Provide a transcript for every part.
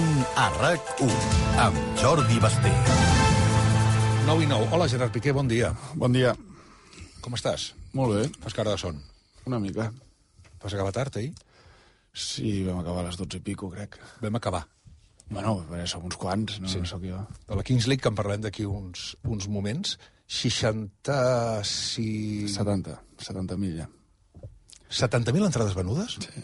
Són a RAC1, amb Jordi Basté. 9:09. Hola, Gerard Piqué, bon dia. Bon dia. Com estàs? Molt bé. Fas cara de son. Una mica. Vas acabar tard, ahir? Sí, vam acabar a les 12 i pico, crec. Vam acabar. Bueno, som uns quants, no, Sí. no sóc jo. De la Kings League, que en parlem d'aquí uns moments, 70.000 ja. 70.000 entrades venudes? Sí.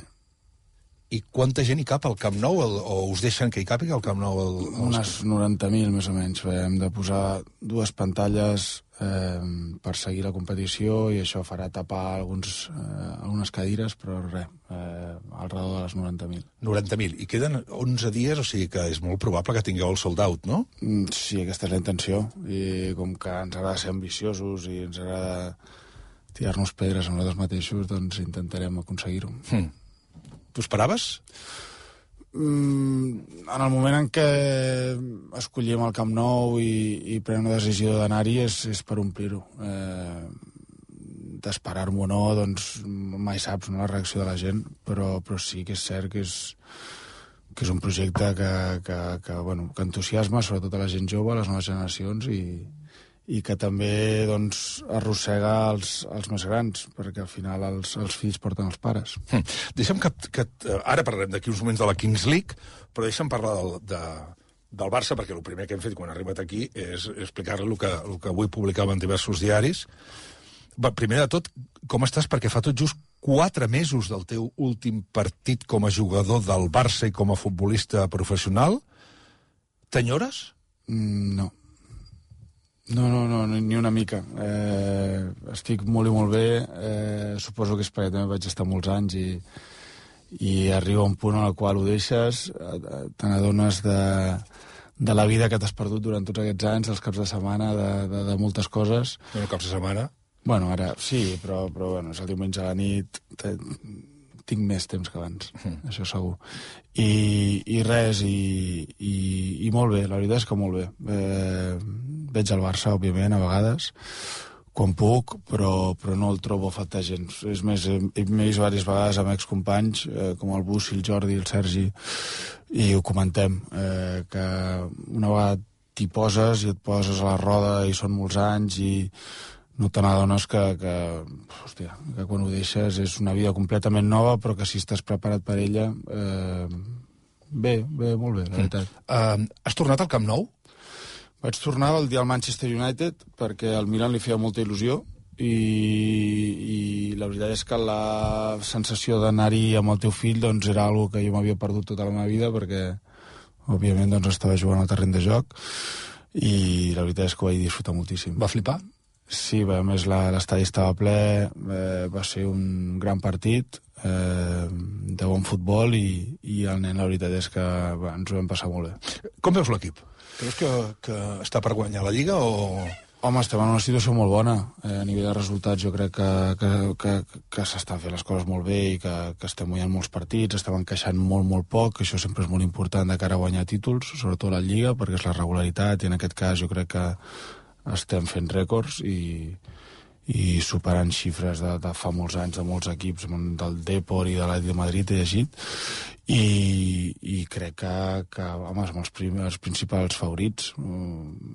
I quanta gent hi cap al Camp Nou? O us deixen que hi càpiga al Camp Nou? Unes 90.000, més o menys. Hem de posar 2 pantalles per seguir la competició i això farà tapar algunes cadires, però res, al redor de les 90.000. 90.000. I queden 11 dies, o sigui que és molt probable que tingueu el sold out, no? Sí, aquesta és la intenció. I com que ens agrada ser ambiciosos i ens agrada tirar-nos pedres a nosaltres mateixos, doncs intentarem aconseguir-ho. Tu esperaves? En el moment en què escollim el Camp Nou i prenem la decisió d'anar-hi és per omplir-ho. D'esperar-m'ho o no, doncs mai saps, no, la reacció de la gent, però sí que és cert que és un projecte que entusiasma sobretot a la gent jove, a les noves generacions, i que també doncs, arrossega els més grans, perquè al final els fills porten els pares. Deixa'm que ara parlarem d'aquí uns moments de la Kings League, però deixa'm parlar del Barça, perquè el primer que hem fet quan he arribat aquí és explicar-li el que avui publicava en diversos diaris. Primer de tot, com estàs? Perquè fa tot just 4 mesos del teu últim partit com a jugador del Barça i com a futbolista professional. T'enyores? No, ni una mica. Estic molt i molt bé. Suposo que és perquè també vaig estar molts anys i arriba un punt en el qual ho deixes, te n'adones de la vida que t'has perdut durant tots aquests anys, els caps de setmana, de moltes coses. No, caps de setmana? Bueno, ara sí, però bueno, és el diumenge a la nit, tinc més temps que abans, això segur. I res, i molt bé, la veritat és que molt bé. Veig el Barça, òbviament, a vegades, quan puc, però no el trobo a faltar gens. És més, he vist diverses vegades amb excompanys, com el Bussi, el Jordi, el Sergi, i ho comentem, que una vegada t'hi poses i et poses a la roda i són molts anys i no te n'adones que quan ho deixes és una vida completament nova, però que si estàs preparat per ella, bé, molt bé, la veritat. Has tornat al Camp Nou? Vaig tornar el dia al Manchester United perquè al Milan li feia molta il·lusió i la veritat és que la sensació d'anar-hi amb el teu fill doncs, era algo que jo m'havia perdut tota la meva vida perquè, òbviament, doncs, estava jugant al terreny de joc i la veritat és que ho vaig disfrutar moltíssim. Va flipar? Sí, a més l'estadi estava ple, va ser un gran partit de bon futbol i el nen la veritat és que ens ho vam passar molt bé. Com veus l'equip? Creus que està per guanyar la Lliga o...? Home, estem en una situació molt bona. A nivell de resultats jo crec que s'estan fent les coses molt bé i que estem guanyant molts partits, estem encaixant molt poc, això sempre és molt important de cara a guanyar títols, sobretot a la Lliga, perquè és la regularitat i en aquest cas jo crec que estem fent rècords i superant xifres de fa molts anys de molts equips, del Depor i de l'Atlètic de Madrid, he llegit, i crec que home, som els principals favorits.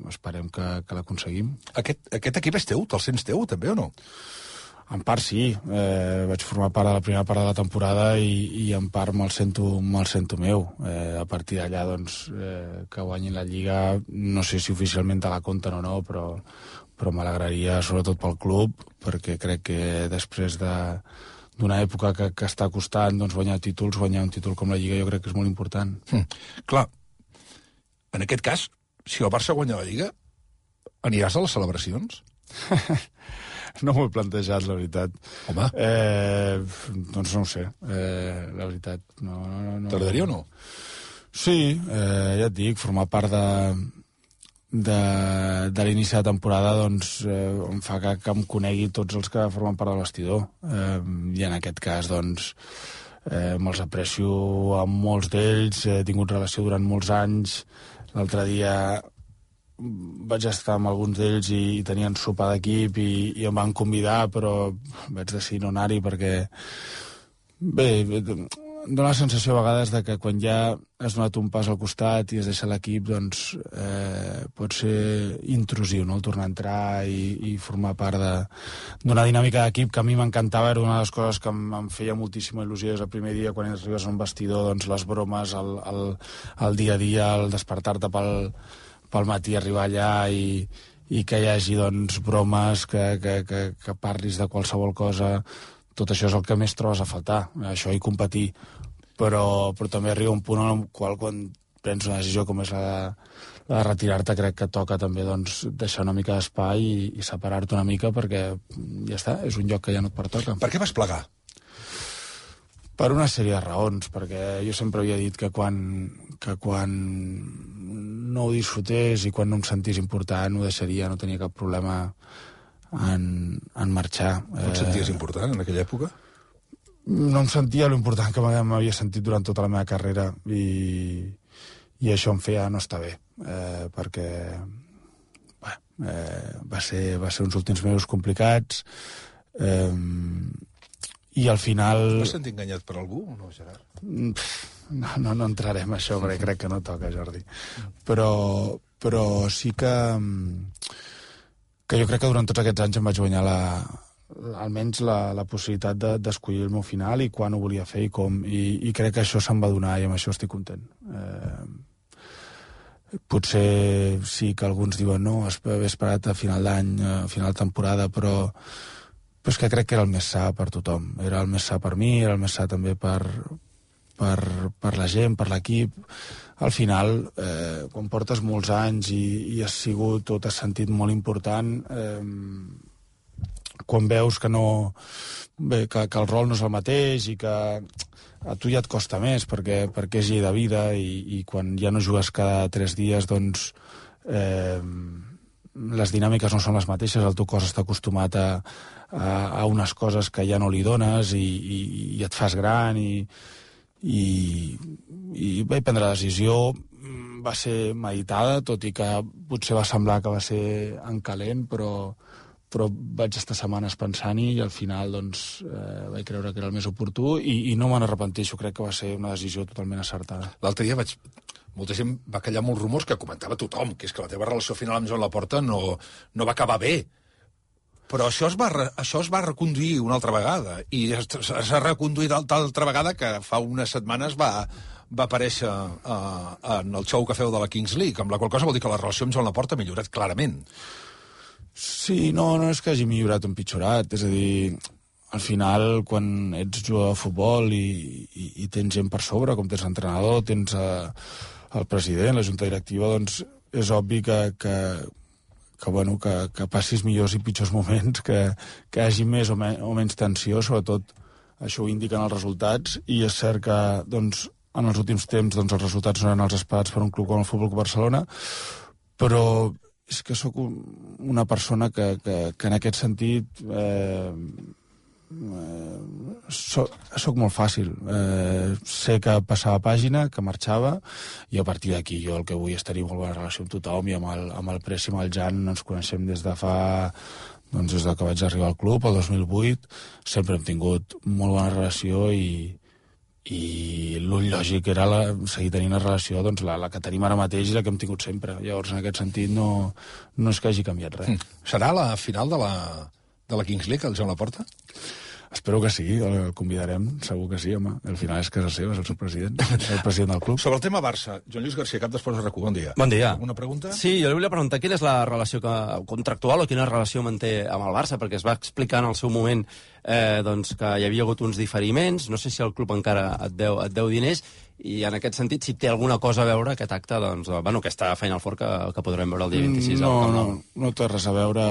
Esperem que l'aconseguim. Aquest equip és teu? Te'l sents teu, també, o no? En part sí, vaig formar part de la primera part de la temporada i en part me'l sento meu. A partir d'allà, doncs, que guanyin la Lliga, no sé si oficialment te la compten o no, però m'alegraria sobretot pel club, perquè crec que després d'una època que està costant doncs, guanyar un títol com la Lliga jo crec que és molt important. Clar, en aquest cas, si el Barça guanya la Lliga, aniràs a les celebracions? No m'ho he plantejat, la veritat. Home. Doncs no ho sé, la veritat. No. T'agradaria o no? Sí, ja et dic, formar part de l'inici de temporada doncs, em fa que em conegui tots els que formen part del vestidor. I en aquest cas, doncs, me'ls aprecio amb molts d'ells, he tingut relació durant molts anys. L'altre dia vaig estar amb alguns d'ells i tenien sopar d'equip i em van convidar, però vaig decidir no anar-hi perquè bé, dona la sensació a vegades de que quan ja has donat un pas al costat i es deixa l'equip, doncs pot ser intrusiu, no?, el tornar a entrar i formar part d'una dinàmica d'equip que a mi m'encantava. Era una de les coses que em feia moltíssima il·lusió des del primer dia, quan arribes a un vestidor, doncs les bromes, el dia a dia, el despertar-te pel matí, arribar allà i que hi hagi, doncs, bromes, que parlis de qualsevol cosa. Tot això és el que més trobes a faltar, això i competir. Però també arriba un punt en el qual, quan prens una decisió com és la de retirar-te, crec que toca també, doncs, deixar una mica d'espai i separar-te una mica, perquè ja està, és un lloc que ja no et pertoca. Per què vas plegar? Per una sèrie de raons, perquè jo sempre havia dit que quan no ho disfrutés i quan no em sentís important ho deixaria, no tenia cap problema en marxar. No et senties important en aquella època? No em sentia l'important que m'havia sentit durant tota la meva carrera i això em feia no estar bé, perquè va ser uns últims mesos complicats i al final... Vas sentir enganyat per algú o no, Gerard? No entrarem en això, perquè crec que no toca, Jordi. Però sí que jo crec que durant tots aquests anys em vaig guanyar almenys la possibilitat d'escollir el meu final i quan ho volia fer i com, i crec que això se'm va donar i amb això estic content. Potser sí que alguns diuen no, haver esperat a final d'any, a final de temporada, però és que crec que era el més sa per tothom. Era el més sa per mi, era el més sa també per la gent, per l'equip. Al final, quan portes molts anys i has sigut o t'has sentit molt important, quan veus que el rol no és el mateix i que a tu ja et costa més perquè és llei de vida i quan ja no jugues cada 3 dies, doncs les dinàmiques no són les mateixes, el teu cos està acostumat a unes coses que ja no li dones i et fas gran i vaig prendre la decisió. Va ser meditada, tot i que potser va semblar que va ser en calent, però vaig estar setmanes pensant-hi i al final doncs, vaig creure que era el més oportú i no me n'arrepenteixo, crec que va ser una decisió totalment acertada. L'altre dia molta gent va callar molts rumors que comentava tothom, que és que la teva relació final amb Joan Laporta no va acabar bé. Però això es va reconduir una altra vegada, i s'ha reconduït altra vegada que fa unes setmanes va aparèixer en el show que feu de la Kings League, amb la qual cosa vol dir que la relació amb Joan Laporta ha millorat clarament. Sí, no és que hagi millorat o empitjorat, és a dir, al final, quan ets jugador de futbol i tens gent per sobre, com tens l'entrenador, tens el president, la junta directiva, doncs és obvi que passis millors i pitjors moments, que hi hagi més o menys tensió, sobretot això ho indiquen els resultats, i és cert que doncs, en els últims temps doncs, els resultats no eren els esperats per un club com el Futbol Club Barcelona, però és que sóc una persona que en aquest sentit soc molt fàcil. Sé que passava pàgina, que marxava, i a partir d'aquí jo el que vull és tenir molt bona relació amb tothom, i amb el Press i amb el Jan ens coneixem des de des que vaig arribar al club, el 2008, sempre hem tingut molt bona relació i l'ull lògic era seguir tenint una relació, doncs la que tenim ara mateix i la que hem tingut sempre. Llavors, en aquest sentit, no és que hagi canviat res. Serà la final de la Kings League, el Joan Laporta? Espero que sí, el convidarem, segur que sí, home. Al final és casa seva, és el seu president, el president del club. Sobre el tema Barça, Joan Lluís García, cap d'Esports de RAC1, bon dia. Bon dia. Una pregunta? Sí, jo li volia preguntar quina és la relació contractual o quina relació manté amb el Barça, perquè es va explicar en el seu moment doncs, que hi havia hagut uns diferiments, no sé si el club encara et deu diners, i en aquest sentit, si té alguna cosa a veure aquest acte, doncs, aquesta feina al forn que podrem veure el dia 26 al Camp Nou. No té res a veure.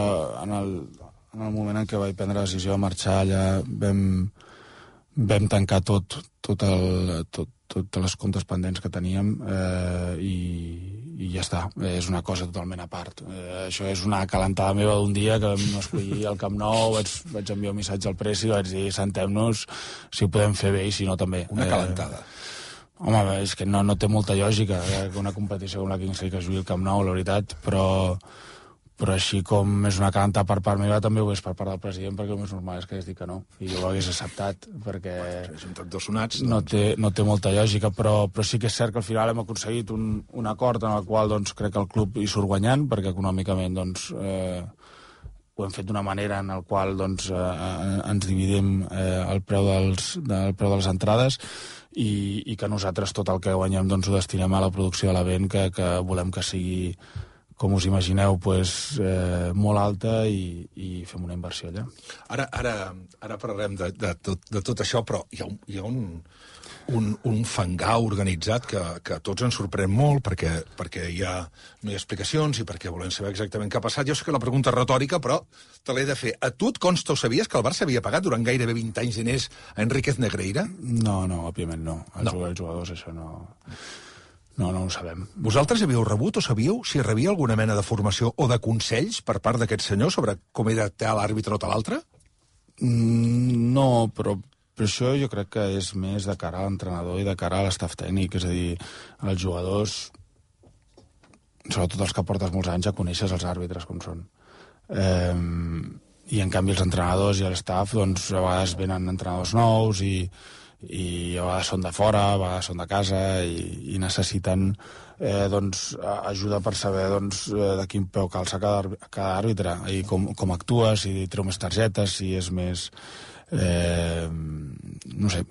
En el moment en què vaig prendre la decisió de marxar, allà vam tancar totes les comptes pendents que teníem i ja està. És una cosa totalment a part. Això és una calentada meva d'un dia que vam escollir al Camp Nou, vaig enviar un missatge al Press i vaig dir sentem-nos, si ho podem fer bé i si no també. Una calentada. Home, és que no té molta lògica que una competició com la Kings League es jugui al Camp Nou, la veritat, però però així com és una canta per part meva, també ho és per part del president, perquè el més normal és que hagués dit que no, i jo ho hagués acceptat, perquè Són tots dos sonats. no té molta lògica, però sí que és cert que al final hem aconseguit un acord en el qual doncs, crec que el club hi surt guanyant, perquè econòmicament doncs, ho hem fet d'una manera en el qual doncs, ens dividim el preu de les entrades i que nosaltres tot el que guanyem doncs, ho destinem a la producció de l'event, que volem que sigui, com us imagineu, pues, molt alta i fem una inversió allà. Ara parlarem de tot això, però hi ha un fangar organitzat que a tots ens sorprèn molt perquè no hi ha explicacions i perquè volem saber exactament què ha passat. Jo sé que la pregunta és retòrica, però te l'he de fer. A tu et consta o sabies que el Barça havia pagat durant gairebé 20 anys diners a Enríquez Negreira? No, òbviament no. Els jugadors això no... No ho sabem. Vosaltres havíeu rebut o sabíeu si rebia alguna mena de formació o de consells per part d'aquest senyor sobre com he de tal l'àrbitre o tal altre? No, però això jo crec que és més de cara a l'entrenador i de cara a l'estaf tècnic. És a dir, els jugadors, sobretot els que portes molts anys, ja coneixes els àrbitres com són. I en canvi els entrenadors i l'estaf, doncs, a vegades venen entrenadors nous i a vegades són de fora, a vegades són de casa i necessiten doncs, ajuda per saber doncs, de quin peu calça cada àrbitre i com actua, si treu més targetes, si és més... no sé,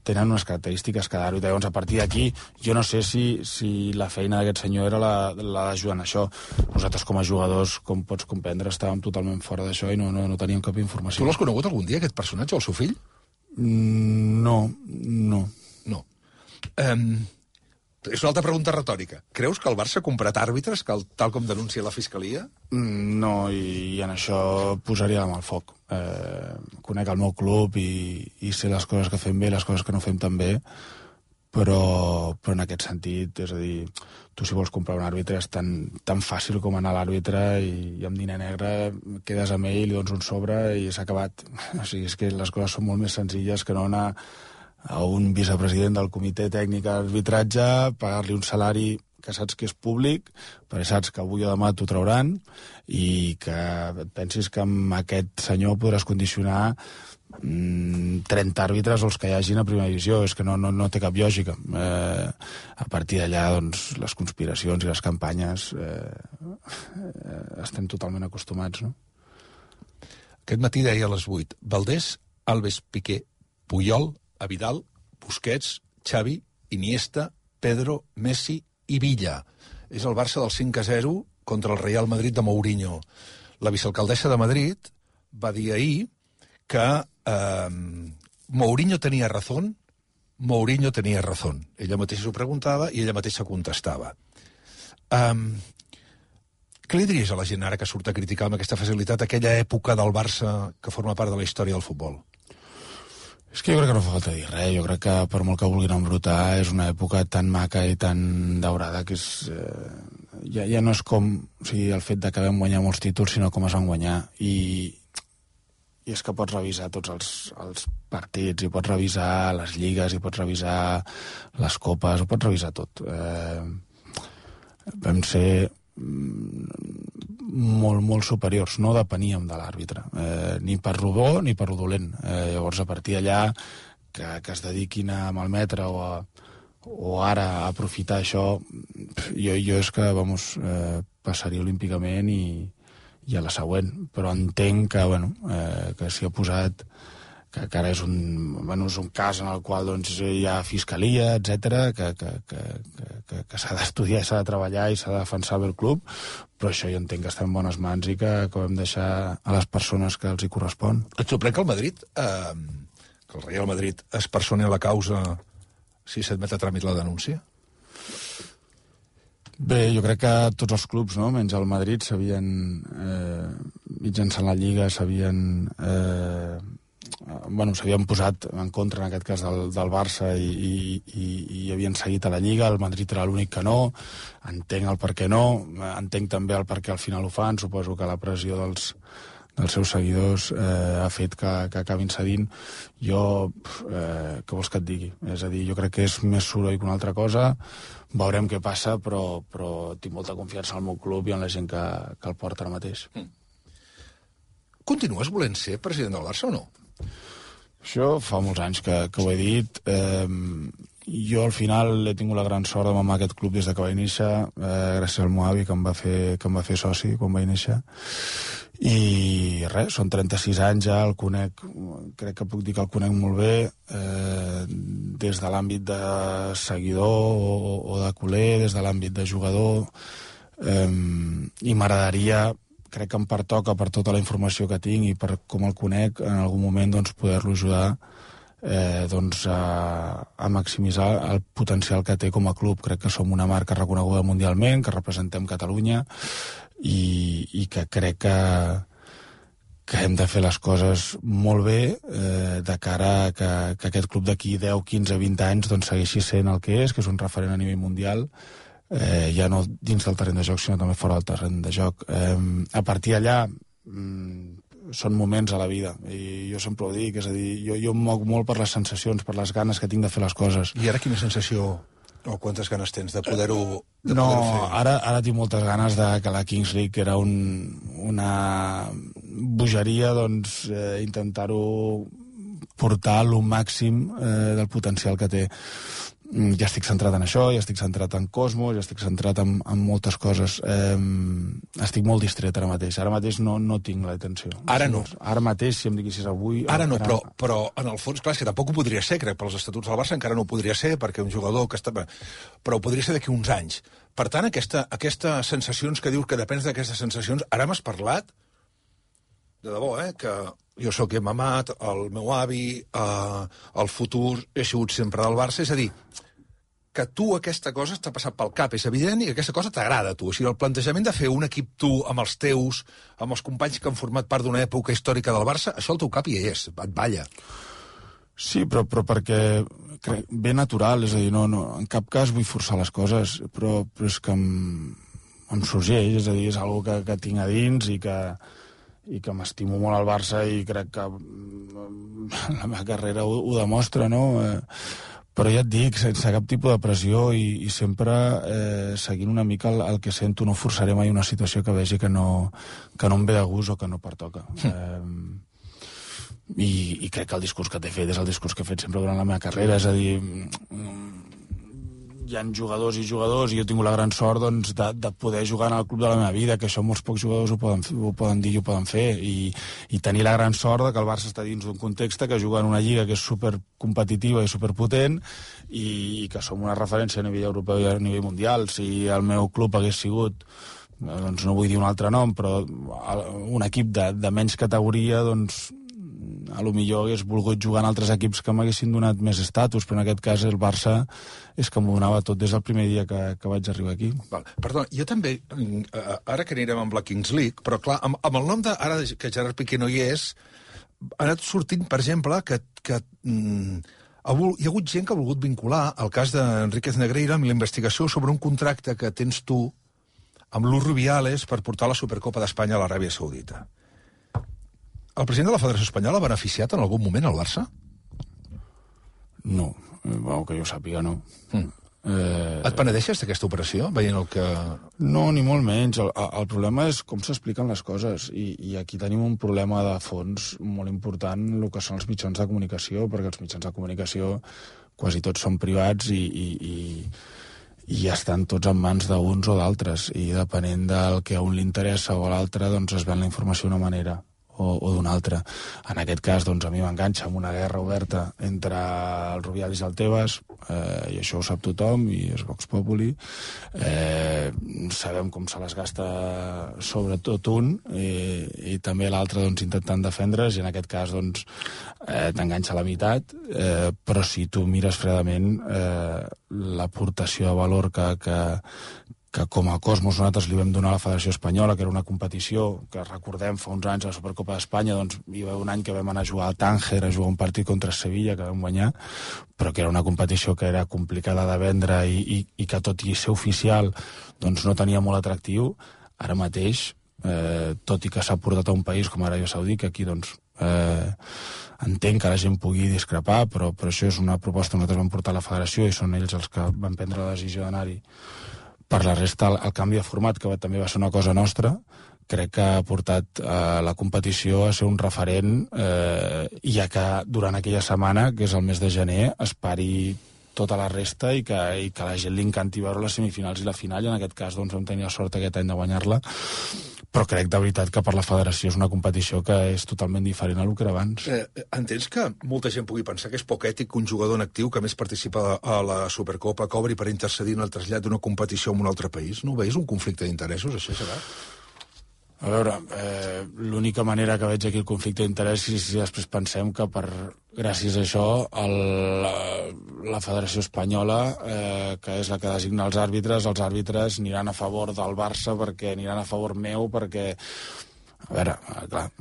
tenen unes característiques cada àrbitre. Llavors, a partir d'aquí, jo no sé si la feina d'aquest senyor era la d'ajudar en això. Nosaltres, com a jugadors, com pots comprendre, estàvem totalment fora d'això i no teníem cap informació. Tu l'has conegut algun dia, aquest personatge, o el seu fill? No. És una altra pregunta retòrica. Creus que el Barça ha comprat àrbitres, tal com denuncia la Fiscalia? No, i en això posaria la mà al foc. Conec el meu club i sé les coses que fem bé, les coses que no fem tan bé, però en aquest sentit, és a dir, tu si vols comprar un àrbitre és tan fàcil com anar a l'àrbitre i amb diner negre quedes amb ell, li dones un sobre i s'ha acabat. O sigui, és que les coses són molt més senzilles que no anar a un vicepresident del comitè tècnic d'arbitratge, pagar-li un salari que saps que és públic, perquè saps que avui o demà t'ho trauran i que pensis que amb aquest senyor podràs condicionar 30 àrbitres o els que hi hagin a primera divisió. És que no té cap lògica. A partir d'allà, doncs, les conspiracions i les campanyes estem totalment acostumats, no? Aquest matí deia a les 8, Valdés, Alves, Piqué, Puyol, Vidal, Busquets, Xavi, Iniesta, Pedro, Messi i Villa. És el Barça del 5-0 contra el Real Madrid de Mourinho. La vicealcaldessa de Madrid va dir ahir que Mourinho tenia razón, Mourinho tenia razón. Ella mateixa s'ho preguntava i ella mateixa contestava. Què li diries a la gent ara que surt a criticar amb aquesta facilitat aquella època del Barça que forma part de la història del futbol? És que jo crec que no fa falta dir res. Jo crec que per molt que vulguin embrutar és una època tan maca i tan daurada que és... ja no és com el fet de que vam guanyar molts títols, sinó com es van guanyar. I és que pots revisar tots els partits, i pots revisar les lligues, i pots revisar les copes, ho pots revisar tot. Vam ser molt superiors, no depeníem de l'àrbitre, ni per rodó ni per rodolent. Llavors, a partir d'allà, que es dediquin a malmetre o ara a aprofitar això, jo és que, passaria olímpicament i a la següent. Però entenc que s'hi ha posat, que ara és un cas en el qual doncs, hi ha fiscalia, etc, que s'ha d'estudiar, s'ha de treballar i s'ha de defensar bé el club, però això jo entenc que està en bones mans i que hem de deixar a les persones que els hi correspon. Et sorprèn que el Madrid, que el Real Madrid es personi a la causa si s'admet a tràmit la denúncia? Bé, jo crec que tots els clubs, no? Menys el Madrid, s'havien mitjançant la Lliga, s'havien posat en contra, en aquest cas, del Barça i havien seguit a la Lliga. El Madrid era l'únic que no. Entenc el per què no. Entenc també el per què al final ho fan. Suposo que la pressió dels dels seus seguidors ha fet que acabin cedint. Jo, què vols que et digui? És a dir, jo crec que és més soroll que una altra cosa, veurem què passa, però tinc molta confiança en el meu club i en la gent que el porta ara mateix. Continues volent ser president del Barça o no? Això fa molts anys que ho he dit. Jo al final he tingut la gran sort de mamar aquest club des de que vaig néixer, gràcies al meu avi que em va fer soci quan vaig néixer. I res, són 36 anys ja, el conec, crec que puc dir que el conec molt bé, des de l'àmbit de seguidor o de culer, des de l'àmbit de jugador, i m'agradaria, crec que em pertoca per tota la informació que tinc i per com el conec, en algun moment doncs, poder-lo ajudar a maximitzar el potencial que té com a club. Crec que som una marca reconeguda mundialment, que representem Catalunya i que crec que hem de fer les coses molt bé de cara a que aquest club d'aquí 10, 15, 20 anys doncs, segueixi sent el que és un referent a nivell mundial, ja no dins del terreny de joc sinó també fora del terreny de joc. A partir d'allà són moments a la vida i jo sempre ho dic, és a dir, jo em moc molt per les sensacions, per les ganes que tinc de fer les coses. I ara quina sensació o quantes ganes tens de poder-ho fer? Ara tinc moltes ganes de que la Kings League, que era una bogeria, doncs intentar-ho portar al màxim del potencial que té. Ja estic centrat en això, ja estic centrat en Cosmos, ja estic centrat en moltes coses. Estic molt distret ara mateix. Ara mateix no tinc la atenció. Ara no? Ara mateix, si em diguessis avui... Ara no, però en el fons, clar, és que tampoc ho podria ser, crec, pels estatuts del Barça encara no ho podria ser, perquè un jugador que està... Però ho podria ser d'aquí uns anys. Per tant, aquestes sensacions que dius que depens d'aquestes sensacions, ara m'has parlat, de debò, que jo sóc que he mamat, el meu avi, el futur, he sigut sempre del Barça, és a dir, que tu aquesta cosa t'ha passat pel cap, és evident, i que aquesta cosa t'agrada a tu. O sigui, el plantejament de fer un equip tu amb els teus, amb els companys que han format part d'una època històrica del Barça, això al teu cap hi és, et balla. Sí, però perquè ve natural, és a dir, no, en cap cas vull forçar les coses, però és que em sorgeix, és a dir, és una cosa que tinc a dins i que m'estimo molt al Barça i crec que la meva carrera ho demostra, no? Però ja et dic, sense cap tipus de pressió i sempre seguint una mica el que sento, no forçaré mai una situació que vegi que no em ve de gust o que no pertoca. I crec que el discurs que t'he fet és el discurs que he fet sempre durant la meva carrera, és a dir, hi ha jugadors i jugadors i jo he tingut la gran sort doncs, de poder jugar en el club de la meva vida, que això molts pocs jugadors ho poden dir i ho poden fer, i tenir la gran sort de que el Barça està dins d'un context que juga en una lliga que és supercompetitiva i superpotent i que som una referència a nivell europeu i a nivell mundial. Si el meu club hagués sigut, doncs no vull dir un altre nom, però un equip de menys categoria, doncs a lo millor hagués volgut jugar en altres equips que m'haguessin donat més estatus, però en aquest cas el Barça és que m'ho donava tot des del primer dia que vaig arribar aquí. Val. Perdona, jo també, ara que anirem amb la Kings League, però clar, amb el nom de, ara que Gerard Piqué no hi és, ha anat sortint, per exemple, que hi ha hagut gent que ha volgut vincular el cas d'Enríquez Negreira amb la investigació sobre un contracte que tens tu amb Luis Rubiales per portar la Supercopa d'Espanya a l'Aràbia Saudita. El president de la Federació Espanyola ha beneficiat en algun moment el Barça? No, que jo sàpiga, no. Et penedeixes d'aquesta operació, veient el que... No, ni molt menys. El problema és com s'expliquen les coses, i aquí tenim un problema de fons molt important, el que són els mitjans de comunicació, perquè els mitjans de comunicació quasi tots són privats i ja estan tots en mans d'uns o d'altres, i depenent del que a un li interessa o a l'altre, doncs es ven la informació d'una manera o d'una altra. En aquest cas, doncs, a mi m'enganxa amb una guerra oberta entre el Rubiales i el Tebas, i això ho sap tothom, i és Vox Populi. Sabem com se les gasta sobretot un, i també l'altre doncs, intentant defendre's, i en aquest cas doncs, t'enganxa a la meitat, però si tu mires fredament l'aportació de valor que com a Cosmos nosaltres li vam donar a la Federació Espanyola, que era una competició que recordem fa uns anys a la Supercopa d'Espanya, doncs hi va un any que vam anar a jugar al Tànger, a jugar un partit contra Sevilla, que vam guanyar, però que era una competició que era complicada de vendre i que tot i ser oficial doncs no tenia molt atractiu. Ara mateix tot i que s'ha portat a un país com Aràbia Saudí, que aquí, doncs, entenc que la gent pugui discrepar, però això és una proposta que nosaltres vam portar a la federació i són ells els que van prendre la decisió d'anar-hi. Per la resta, el canvi de format, que també va ser una cosa nostra, crec que ha portat la competició a ser un referent, ja que durant aquella setmana, que és el mes de gener, es pari tota la resta i que la gent li encanti veure les semifinals i la final, i en aquest cas doncs, vam tenir la sort aquest any de guanyar-la, però crec de veritat que per la federació és una competició que és totalment diferent a el que era abans. Entens que molta gent pugui pensar que és poc ètic que un jugador en actiu que més participa a la Supercopa cobri per intercedir en el trasllat d'una competició en un altre país? No ho veus un conflicte d'interessos, això serà? A veure, l'única manera que veig aquí el conflicte d'interès és si després pensem que gràcies a això la Federació Espanyola, que és la que designa els àrbitres aniran a favor del Barça perquè aniran a favor meu, perquè... A veure, clar,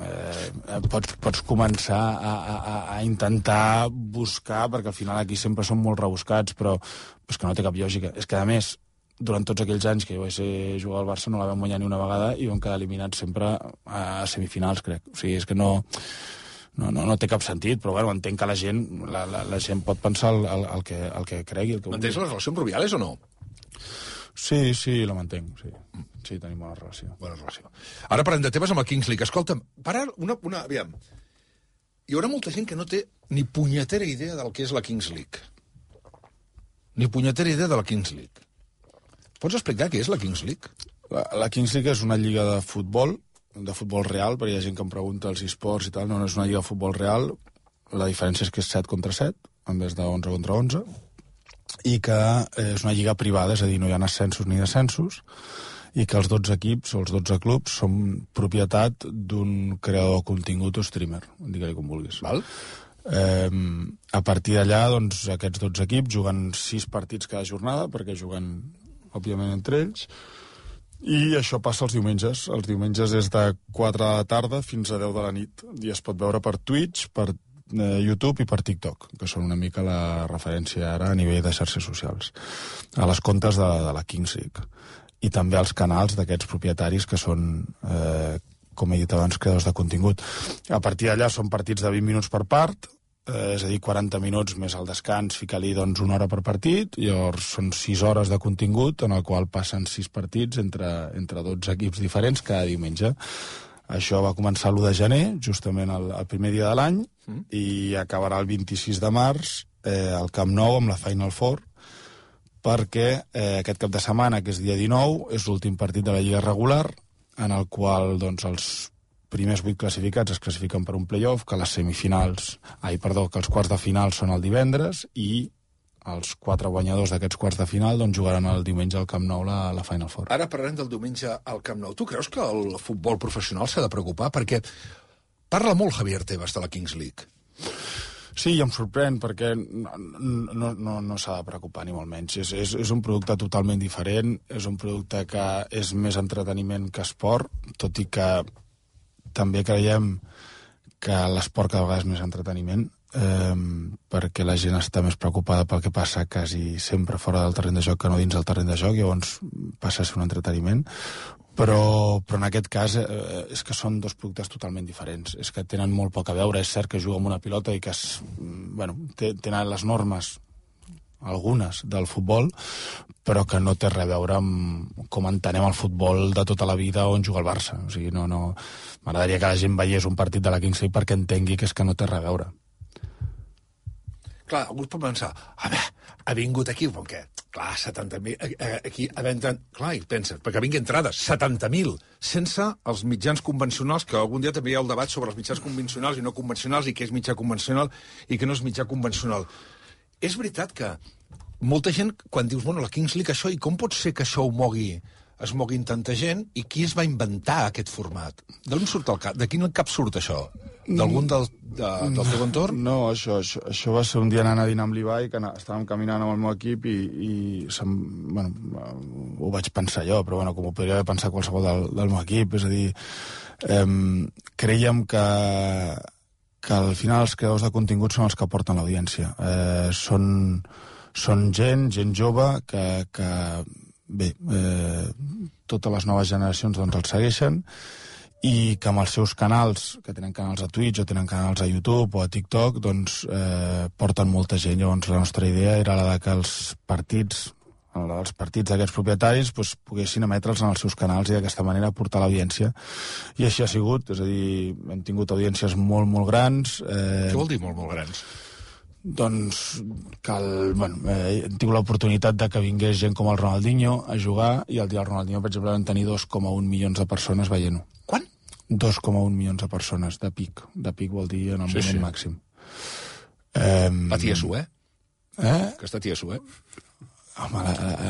pots començar a intentar buscar, perquè al final aquí sempre són molt rebuscats, però és que no té cap lògica. És que, a més, durant tots aquells anys que jo vaig ser jugar al Barça no la vam guanyar ni una vegada i vam quedar eliminats sempre a semifinals, crec. O sigui, és que no té cap sentit, però bueno, entenc que la gent pot pensar el que cregui. Mantens la relació amb Rubiales o no? Sí, la mantenc, sí. Sí, tenim bona relació. Ara parlem de temes amb el Kings League. Escolta'm, aviam. Hi haurà molta gent que no té ni punyetera idea del que és la Kings League. Ni punyetera idea de la Kings League. Pots explicar què és la Kings League? La Kings League és una lliga de futbol real, perquè hi ha gent que em pregunta els esports i tal, no és una lliga de futbol real, la diferència és que és 7 contra 7, en vez de 11 contra 11, i que és una lliga privada, és a dir, no hi ha ascensos ni descensos, i que els 12 equips o els 12 clubs són propietat d'un creador de contingut o streamer, digue-li com vulguis. Val? A partir d'allà, doncs, aquests 12 equips juguen 6 partits cada jornada, perquè juguen òbviament entre ells, i això passa els diumenges. Els diumenges és de 4 de la tarda fins a 10 de la nit, i es pot veure per Twitch, per YouTube i per TikTok, que són una mica la referència ara a nivell de xarxes socials, a les comptes de la Kings League, i també als canals d'aquests propietaris que són, com he dit abans, creadors de contingut. A partir d'allà són partits de 20 minuts per part, és a dir, 40 minuts més el descans, fica-li doncs 1 hora per partit, llavors són 6 hores de contingut en el qual passen 6 partits entre 12 equips diferents cada diumenge. Això va començar l'1 de gener, justament el primer dia de l'any, i acabarà el 26 de març al Camp Nou amb la Final Four, perquè aquest cap de setmana, que és dia 19, és l'últim partit de la Lliga regular, en el qual doncs, els primers 8 classificats es classifiquen per un play-off, que els quarts de final són el divendres, i els 4 guanyadors d'aquests quarts de final doncs, jugaran el diumenge al Camp Nou la Final Four. Ara parlem del diumenge al Camp Nou. Tu creus que el futbol professional s'ha de preocupar? Perquè parla molt Javier Tebas de la Kings League. Sí, i em sorprèn, perquè no s'ha de preocupar ni molt menys. És un producte totalment diferent, és un producte que és més entreteniment que esport, tot i que també creiem que l'esport cada vegada és més entreteniment, perquè la gent està més preocupada pel que passa quasi sempre fora del terreny de joc que no dins del terreny de joc, llavors passa a ser un entreteniment. Però en aquest cas és que són 2 productes totalment diferents, és que tenen molt poc a veure. És cert que juga amb una pilota i que tenen les normes, algunes, del futbol, però que no té res a veure amb com entenem el futbol de tota la vida on juga el Barça. O sigui, m'agradaria que la gent veiés un partit de la Kings League perquè entengui que és que no té res a veure. Clar, algú pot pensar, ha vingut aquí, com que, clar, 70.000, aquí, clar, i penses, perquè vingui entrades, 70.000, sense els mitjans convencionals, que algun dia també hi ha el debat sobre els mitjans convencionals i no convencionals, i què és mitjà convencional i què no és mitjà convencional. És veritat que molta gent, quan dius, bueno, la Kings League, això, i com pot ser que això es mogui tanta gent, i qui es va inventar aquest format? D'on surt el cap? De quin cap surt això? D'algun del teu entorn? No, això va ser un dia anant a dinar amb l'Ibai, que estàvem caminant amb el meu equip i ho vaig pensar jo, però com ho podria haver pensat qualsevol del meu equip. És a dir, creiem que al final els creadors de contingut són els que porten l'audiència. Són gent jove que bé, totes les noves generacions doncs, els segueixen, i que amb els seus canals, que tenen canals a Twitch o tenen canals a YouTube o a TikTok, doncs porten molta gent. Llavors la nostra idea era la de que els partits d'aquests propietaris doncs, poguessin emetre'ls en els seus canals i d'aquesta manera portar l'audiència. I així ha sigut, és a dir, hem tingut audiències molt, molt grans. Què vol dir molt, molt grans? Doncs que hem tingut l'oportunitat de que vingués gent com el Ronaldinho a jugar, i el dia del Ronaldinho, per exemple, vam tenir 2,1 milions de persones veient-ho. Quan? 2,1 milions de persones, de pic. De pic vol dir en el moment màxim. La tia Su, Aquesta tia Su, Home,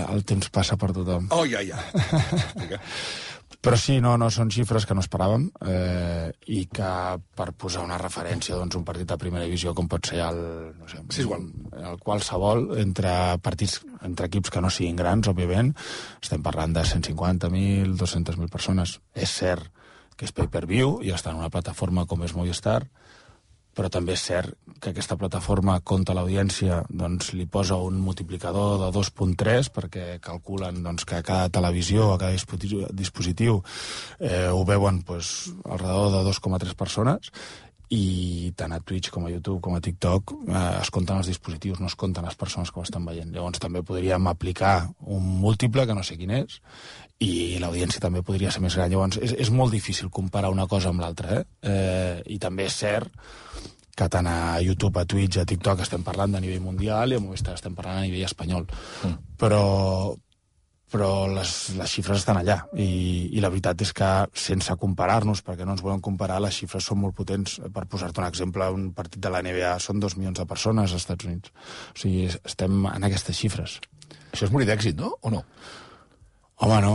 el temps passa per tothom. Oh, ja. Però sí, no, són xifres que no esperàvem, i que per posar una referència, doncs, un partit de primera divisió com pot ser el qualsevol, entre equips que no siguin grans, òbviament, estem parlant de 150.000, 200.000 persones. És cert que és pay-per-view i està en una plataforma com és Movistar, però també és cert que aquesta plataforma compta l'audiència, doncs li posa un multiplicador de 2.3 perquè calculen doncs, que a cada televisió, a cada dispositiu ho veuen doncs, al redor de 2,3 persones, i tant a Twitch com a YouTube com a TikTok es compten els dispositius, no es compten les persones que ho estan veient. Llavors també podríem aplicar un múltiple, que no sé quin és, i l'audiència també podria ser més gran. Llavors és molt difícil comparar una cosa amb l'altra, i també és cert que tant a YouTube, a Twitch, a TikTok estem parlant de nivell mundial i a Movistar estem parlant a nivell espanyol. Però les xifres estan allà, i la veritat és que sense comparar-nos, perquè no ens volen comparar, les xifres són molt potents. Per posar-te un exemple, un partit de la NBA són 2 milions de persones als Estats Units. O sigui, estem en aquestes xifres. Això és morir d'èxit, no? O no? Home, no.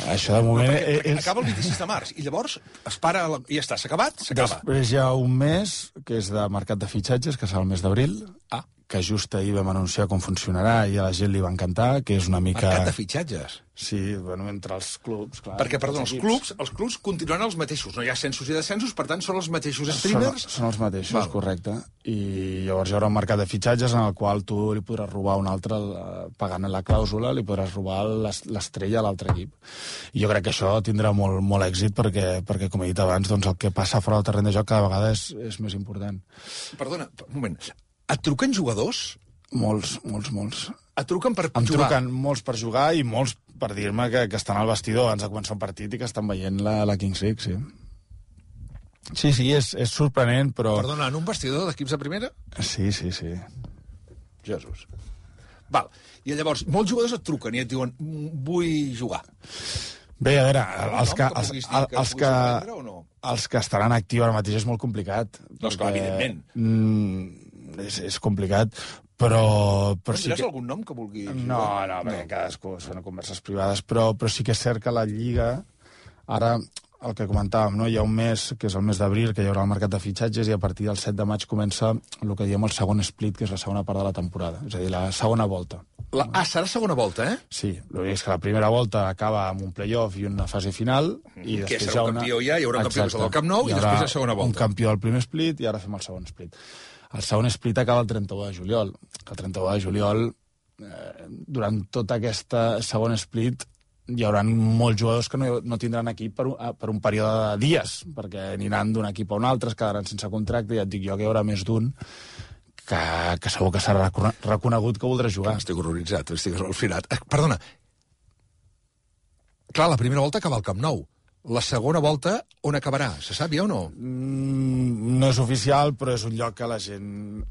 Això de moment... Perquè acaba el 26 de març, i llavors es para... I ja està, s'ha acabat? S'acaba. Després hi ha un mes, que és de mercat de fitxatges, que serà el mes d'abril, que just ahir vam anunciar com funcionarà i a la gent li va encantar, que és una mica... Mercat de fitxatges? Sí, bueno, entre els clubs, clar. Perquè, perdó, els clubs continuaran els mateixos, no hi ha ascensos i descensos, per tant són els mateixos streamers? Són els mateixos, correcte. I llavors hi haurà un mercat de fitxatges en el qual tu li podràs robar un altre, pagant la clàusula, li podràs robar l'estrella a l'altre equip. I jo crec que això tindrà molt, molt èxit perquè, com he dit abans, doncs el que passa fora del terreny de joc cada vegada és més important. Perdona, un moment. Et truquen jugadors? Molts. Et truquen per jugar? Em truquen molts per jugar i molts per dir-me que estan al vestidor abans de començar un partit i que estan veient la Kings League, sí. Sí, és sorprenent, però... Perdona, en un vestidor d'equips de primera? Sí. Jesús. Val. I llavors, molts jugadors et truquen i et diuen vull jugar. Bé, a veure, els que estaran actius ara mateix és molt complicat. No, esclar, evidentment. És complicat, però sí que... algun nom que vulgui jugar? No, perquè cadascú són converses privades, però sí que és cert que la Lliga, ara el que comentàvem, no? Hi ha un mes, que és el mes d'abril, que hi haurà el mercat de fitxatges, i a partir del 7 de maig comença el que diem el segon split, que és la segona part de la temporada, és a dir, la segona volta. Serà segona volta, Sí, l'únic és que la primera volta acaba amb un playoff i una fase final, i després que serà un campió hi haurà un campió del Camp Nou, i després la segona volta. Un campió del primer split, i ara fem el segon split. El segon split acaba el 31 de juliol. El 31 de juliol, durant tot aquest segon split, hi haurà molts jugadors que no tindran equip per un període de dies, perquè aniran d'un equip a un altre, es quedaran sense contracte, i ja et dic jo que hi haurà més d'un que segur que serà reconegut que voldrà jugar. Estic horroritzat, estic al·lucinat. Perdona. Clar, la primera volta acaba al Camp Nou. La segona volta, on acabarà? Se sap ja o no? No és oficial, però és un lloc que la gent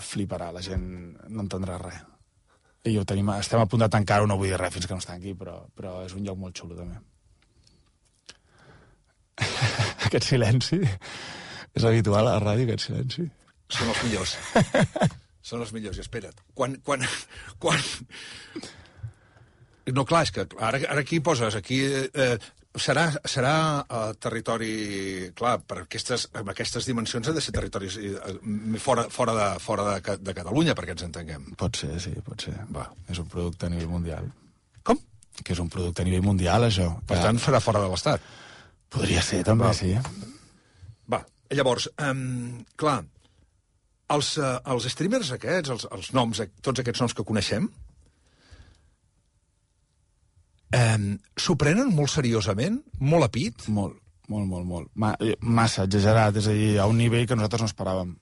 fliparà, la gent no entendrà res. I estem a punt de tancar-ho, no vull dir res fins que no es tanqui, però és un lloc molt xulo, també. Aquest silenci és habitual a la ràdio, aquest silenci. Són els millors. Són els millors, i espera't. Quan... No, clar, és que ara aquí poses... Serà territori... Clar, amb aquestes dimensions ha de ser territoris fora de Catalunya, perquè ens entenguem. Pot ser, sí, pot ser. Va. És un producte a nivell mundial. Com? Que és un producte a nivell mundial, això. Per tant, farà fora de l'Estat. Podria ser, també, sí. Va, llavors, clar, els streamers aquests, els noms, tots aquests noms que coneixem, S'ho prenen molt seriosament? Molt a pit? Molt. Massa exagerat, és a dir, a un nivell que nosaltres no esperàvem.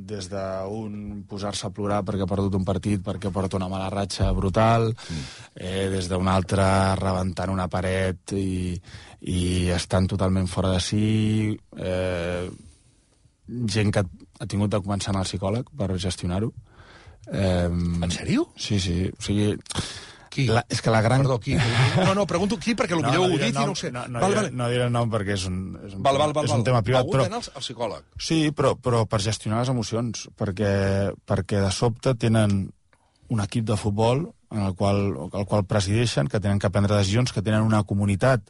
Des d'un posar-se a plorar perquè ha perdut un partit, perquè porta una mala ratxa brutal, des d'un altre rebentant una paret i estan totalment fora de si, gent que ha tingut de començar a anar al psicòleg per gestionar-ho. En sèrio? Sí, o sigui... Qui? És que la gran... Perdó, qui? No, pregunto qui, perquè potser ho he dit i no ho sé. No diré el nom perquè és un tema privat. Va hagut d'anar al psicòleg. Sí, però per gestionar les emocions, perquè de sobte tenen un equip de futbol el qual presideixen, que tenen que prendre decisions, que tenen una comunitat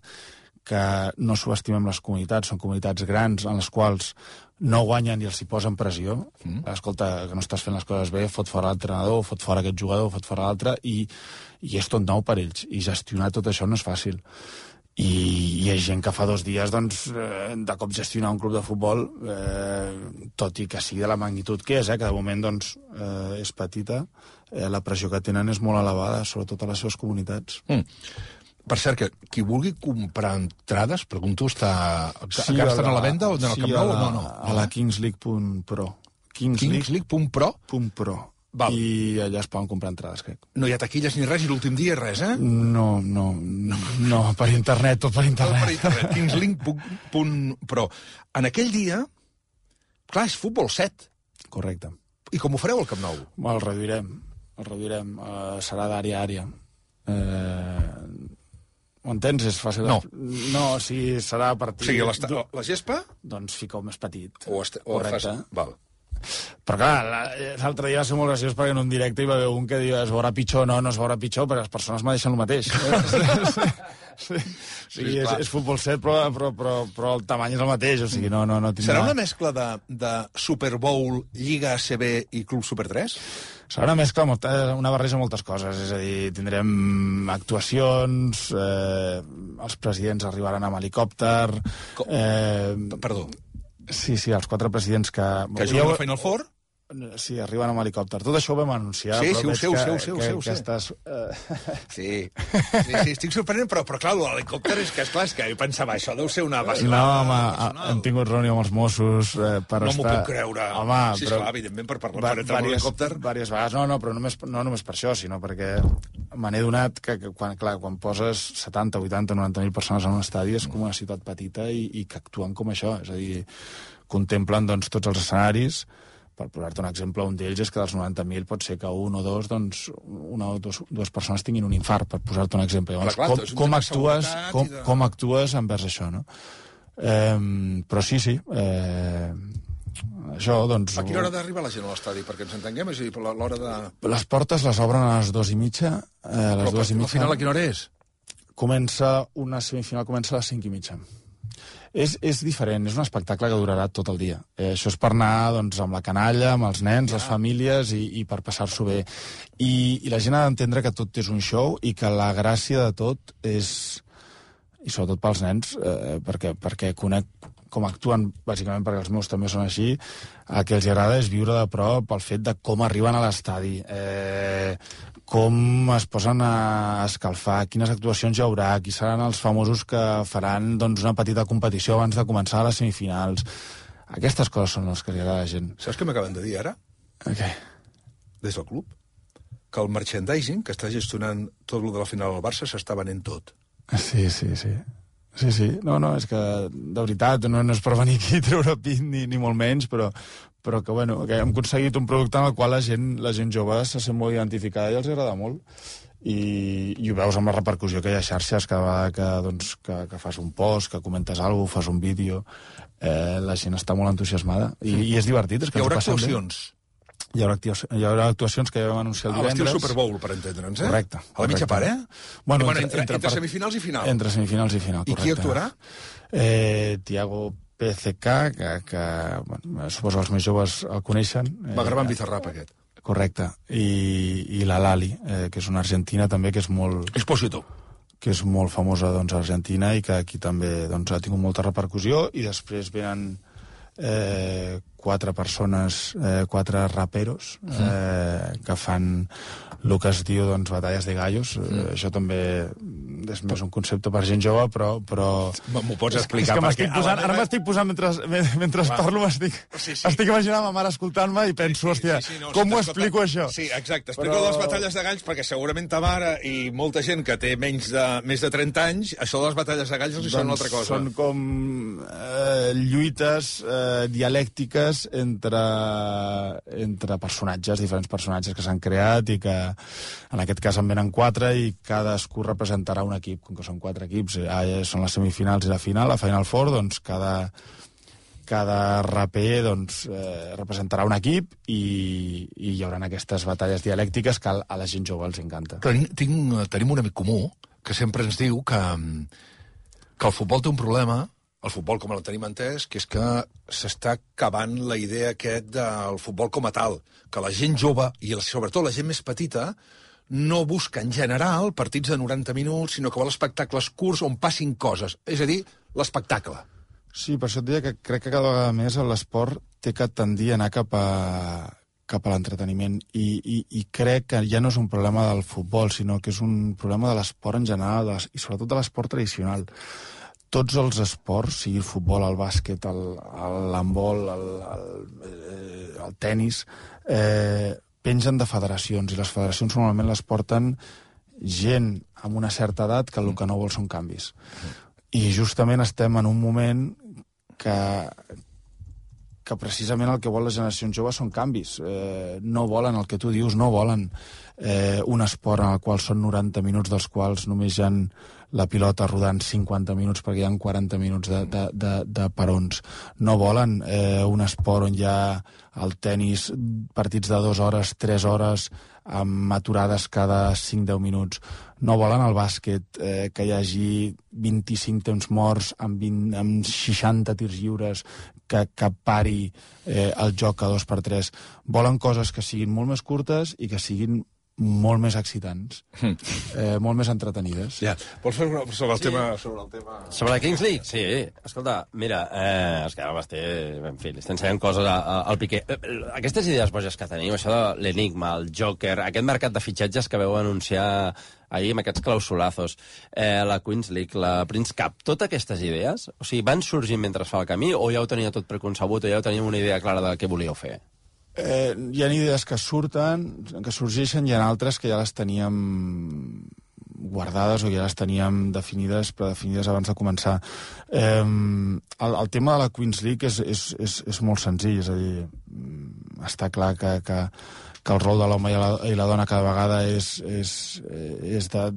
que no subestimem les comunitats, són comunitats grans en les quals no guanyen i els hi posen pressió. Escolta, que no estàs fent les coses bé, fot fora l'entrenador, fot fora aquest jugador, fot fora l'altre, i és tot nou per ells. I gestionar tot això no és fàcil. I hi ha gent que fa 2 dies, doncs, de cop gestionar un club de futbol, tot i que sigui de la magnitud que és, que de moment doncs, és petita, la pressió que tenen és molt elevada, sobretot a les seves comunitats. Per cert, que qui vulgui comprar entrades, pregunto, encara estan a la venda o en el Camp Nou o no? A la kingsleague.pro. Kingsleague.pro? Val. I allà es poden comprar entrades, crec. No hi ha taquilles ni res, i l'últim dia res, eh? No, per internet, tot per internet. Tot per internet, kingsleague.pro. En aquell dia, clar, és futbol 7. Correcte. I com ho fareu al Camp Nou? El reduirem. Serà d'àrea a àrea. Ho entens? És fàcil. No, sí, serà a partir... O sigui, la gespa? Doncs fica-ho més petit. Correcte. Val. Però clar, l'altre dia va ser molt graciós perquè en un directe hi va haver un que diu es veurà pitjor, no es veurà pitjor, perquè les persones mereixen el mateix. Sí, és futbol 7, però el tamany és el mateix, o sigui, no tindrà... Serà una mescla de Super Bowl, Lliga ACB i Club Super 3? Serà una mescla, una barreja de moltes coses, és a dir, tindrem actuacions, els presidents arribaran amb helicòpter... Perdó. Sí, els 4 presidents que... Que juguen al Final Four? Sí, arriben amb helicòpter. Tot això ho vam anunciar. Sí, ho sé. Estàs... Sí, estic sorprenent, però clar, l'helicòpter és que jo pensava, això deu ser una vacilada. No, home, hem tingut reunió amb els Mossos per no estar... No m'ho puc creure. Home, sí, esclar, evidentment, per parlar per entrar amb l'helicòpter. Diverses vegades, no només per això, sinó perquè me n'he donat que quan poses 70, 80, 90.000 persones en un estadi és com una ciutat petita i que actuen com això, és a dir, contemplen doncs, tots els escenaris. Per posar-te un exemple, un d'ells és que dels 90.000 pot ser que un o dos, doncs, una o dues persones tinguin un infart, per posar-te un exemple. Llavors, com actues envers això, no? Però sí, això, doncs... A quina hora d'arribar la gent a l'estadi, perquè ens entenguem? És a dir, l'hora de... Les portes les obren a les 2:30. Però al final a quina hora és? Una semifinal comença a les 5:30. És diferent, és un espectacle que durarà tot el dia. Això és per anar doncs, amb la canalla, amb els nens, les famílies i per passar-s'ho bé. I la gent ha d'entendre que tot és un show i que la gràcia de tot és, i sobretot pels nens, perquè conec com actuen, bàsicament perquè els meus també són així, el que els agrada és viure de prop el fet de com arriben a l'estadi, com es posen a escalfar, quines actuacions hi haurà, qui seran els famosos que faran doncs, una petita competició abans de començar les semifinals. Aquestes coses són les que li agrada a la gent. Saps què m'acaben de dir ara? Què? Des del club. Que el merchandising, que està gestionant tot el de la final del Barça, s'està venent tot. Sí. No, és que, de veritat, no és per venir aquí a treure pit ni molt menys, però que, bueno, que hem aconseguit un producte en el qual la gent jove se sent molt identificada i els agrada molt. I ho veus amb la repercussió que hi ha a xarxes cada vegada que fas un post, que comentes alguna cosa, fas un vídeo, la gent està molt entusiasmada i és divertit. És que hi haurà actuacions? Hi haurà actuacions que ja vam anunciar el divendres. L'estil Super Bowl, per entendre'ns, Correcte. A la mitja part, Bueno, entre semifinals i final. Entre semifinals i final, correcte. I qui actuarà? Tiago PCK, que bueno, suposo que els més joves el coneixen. Va gravar amb Bizarrap, aquest. Correcte. I la Lali, que és una argentina també que és molt... Exposito. Que és molt famosa doncs, a Argentina i que aquí també doncs, ha tingut molta repercussió. I després venen 4 persones, 4 raperos, que fan el que es diu, doncs, batalles de gallos. Això també és més un concepte per gent jove, però... M'ho pots explicar? És que m'estic posant, ara m'estic posant, mentre parlo, estic imaginant ma mare escoltant-me i penso, hòstia, com ho explico, això? Sí, exacte. Explico les batalles de galls, perquè segurament ta mare i molta gent que té més de 30 anys, això de les batalles de galls els hi sona una altra cosa. Són com lluites dialèctiques entre personatges, diferents personatges que s'han creat i que en aquest cas en venen 4 i cadascú representarà un equip. Com que són 4 equips, són les semifinals i la final, la Final Four, doncs cada raper doncs, representarà un equip i hi haurà aquestes batalles dialèctiques que a la gent jove els encanta. Tenim un amic comú que sempre ens diu que el futbol té un problema, el futbol com el tenim entès, que és que s'està acabant la idea del futbol com a tal, que la gent jove, i sobretot la gent més petita, no busca en general partits de 90 minuts, sinó que vol espectacles curts on passin coses. És a dir, l'espectacle. Sí, per això et deia que crec que cada vegada més l'esport té que tendir a anar cap a l'entreteniment i crec que ja no és un problema del futbol, sinó que és un problema de l'esport en general i sobretot de l'esport tradicional. Tots els esports, sigui el futbol, el bàsquet, l'handbol, el tenis, pengen de federacions, i les federacions normalment les porten gent amb una certa edat que el que no vol són canvis. I justament estem en un moment que precisament el que vol les generacions joves són canvis. No volen el que tu dius, no volen un esport en el qual són 90 minuts, dels quals només hi ha la pilota rodant 50 minuts perquè hi ha 40 minuts de parons. No volen un esport on hi ha el tenis, partits de 2 hores, 3 hores, amb aturades cada 5-10 minuts. No volen el bàsquet, que hi hagi 25 temps morts amb 60 tirs lliures, que pari el joc a 2x3. Volen coses que siguin molt més curtes i que siguin molt més excitants, molt més entretenides. Ja. Vols fer sobre el tema... Sobre la Kings League? Sí. Escolta, mira, és que ara m'estic... En fi, li estem ensenyant coses al Piqué. Aquestes idees boges que tenim, això de l'enigma, el Joker, aquest mercat de fitxatges que veu anunciar ahir amb aquests clausulazos, la Queens League, la Prince Cup, totes aquestes idees, o sigui, van sorgint mentre es fa el camí o ja ho tenia tot preconcebut o ja ho teníem una idea clara de què volíeu fer? Hi ha idees que surten, que sorgeixen, i hi ha altres que ja les teníem guardades o ja les teníem definides, predefinides abans de començar. El tema de la Queens League és molt senzill, és a dir, està clar que el rol de l'home i la dona cada vegada és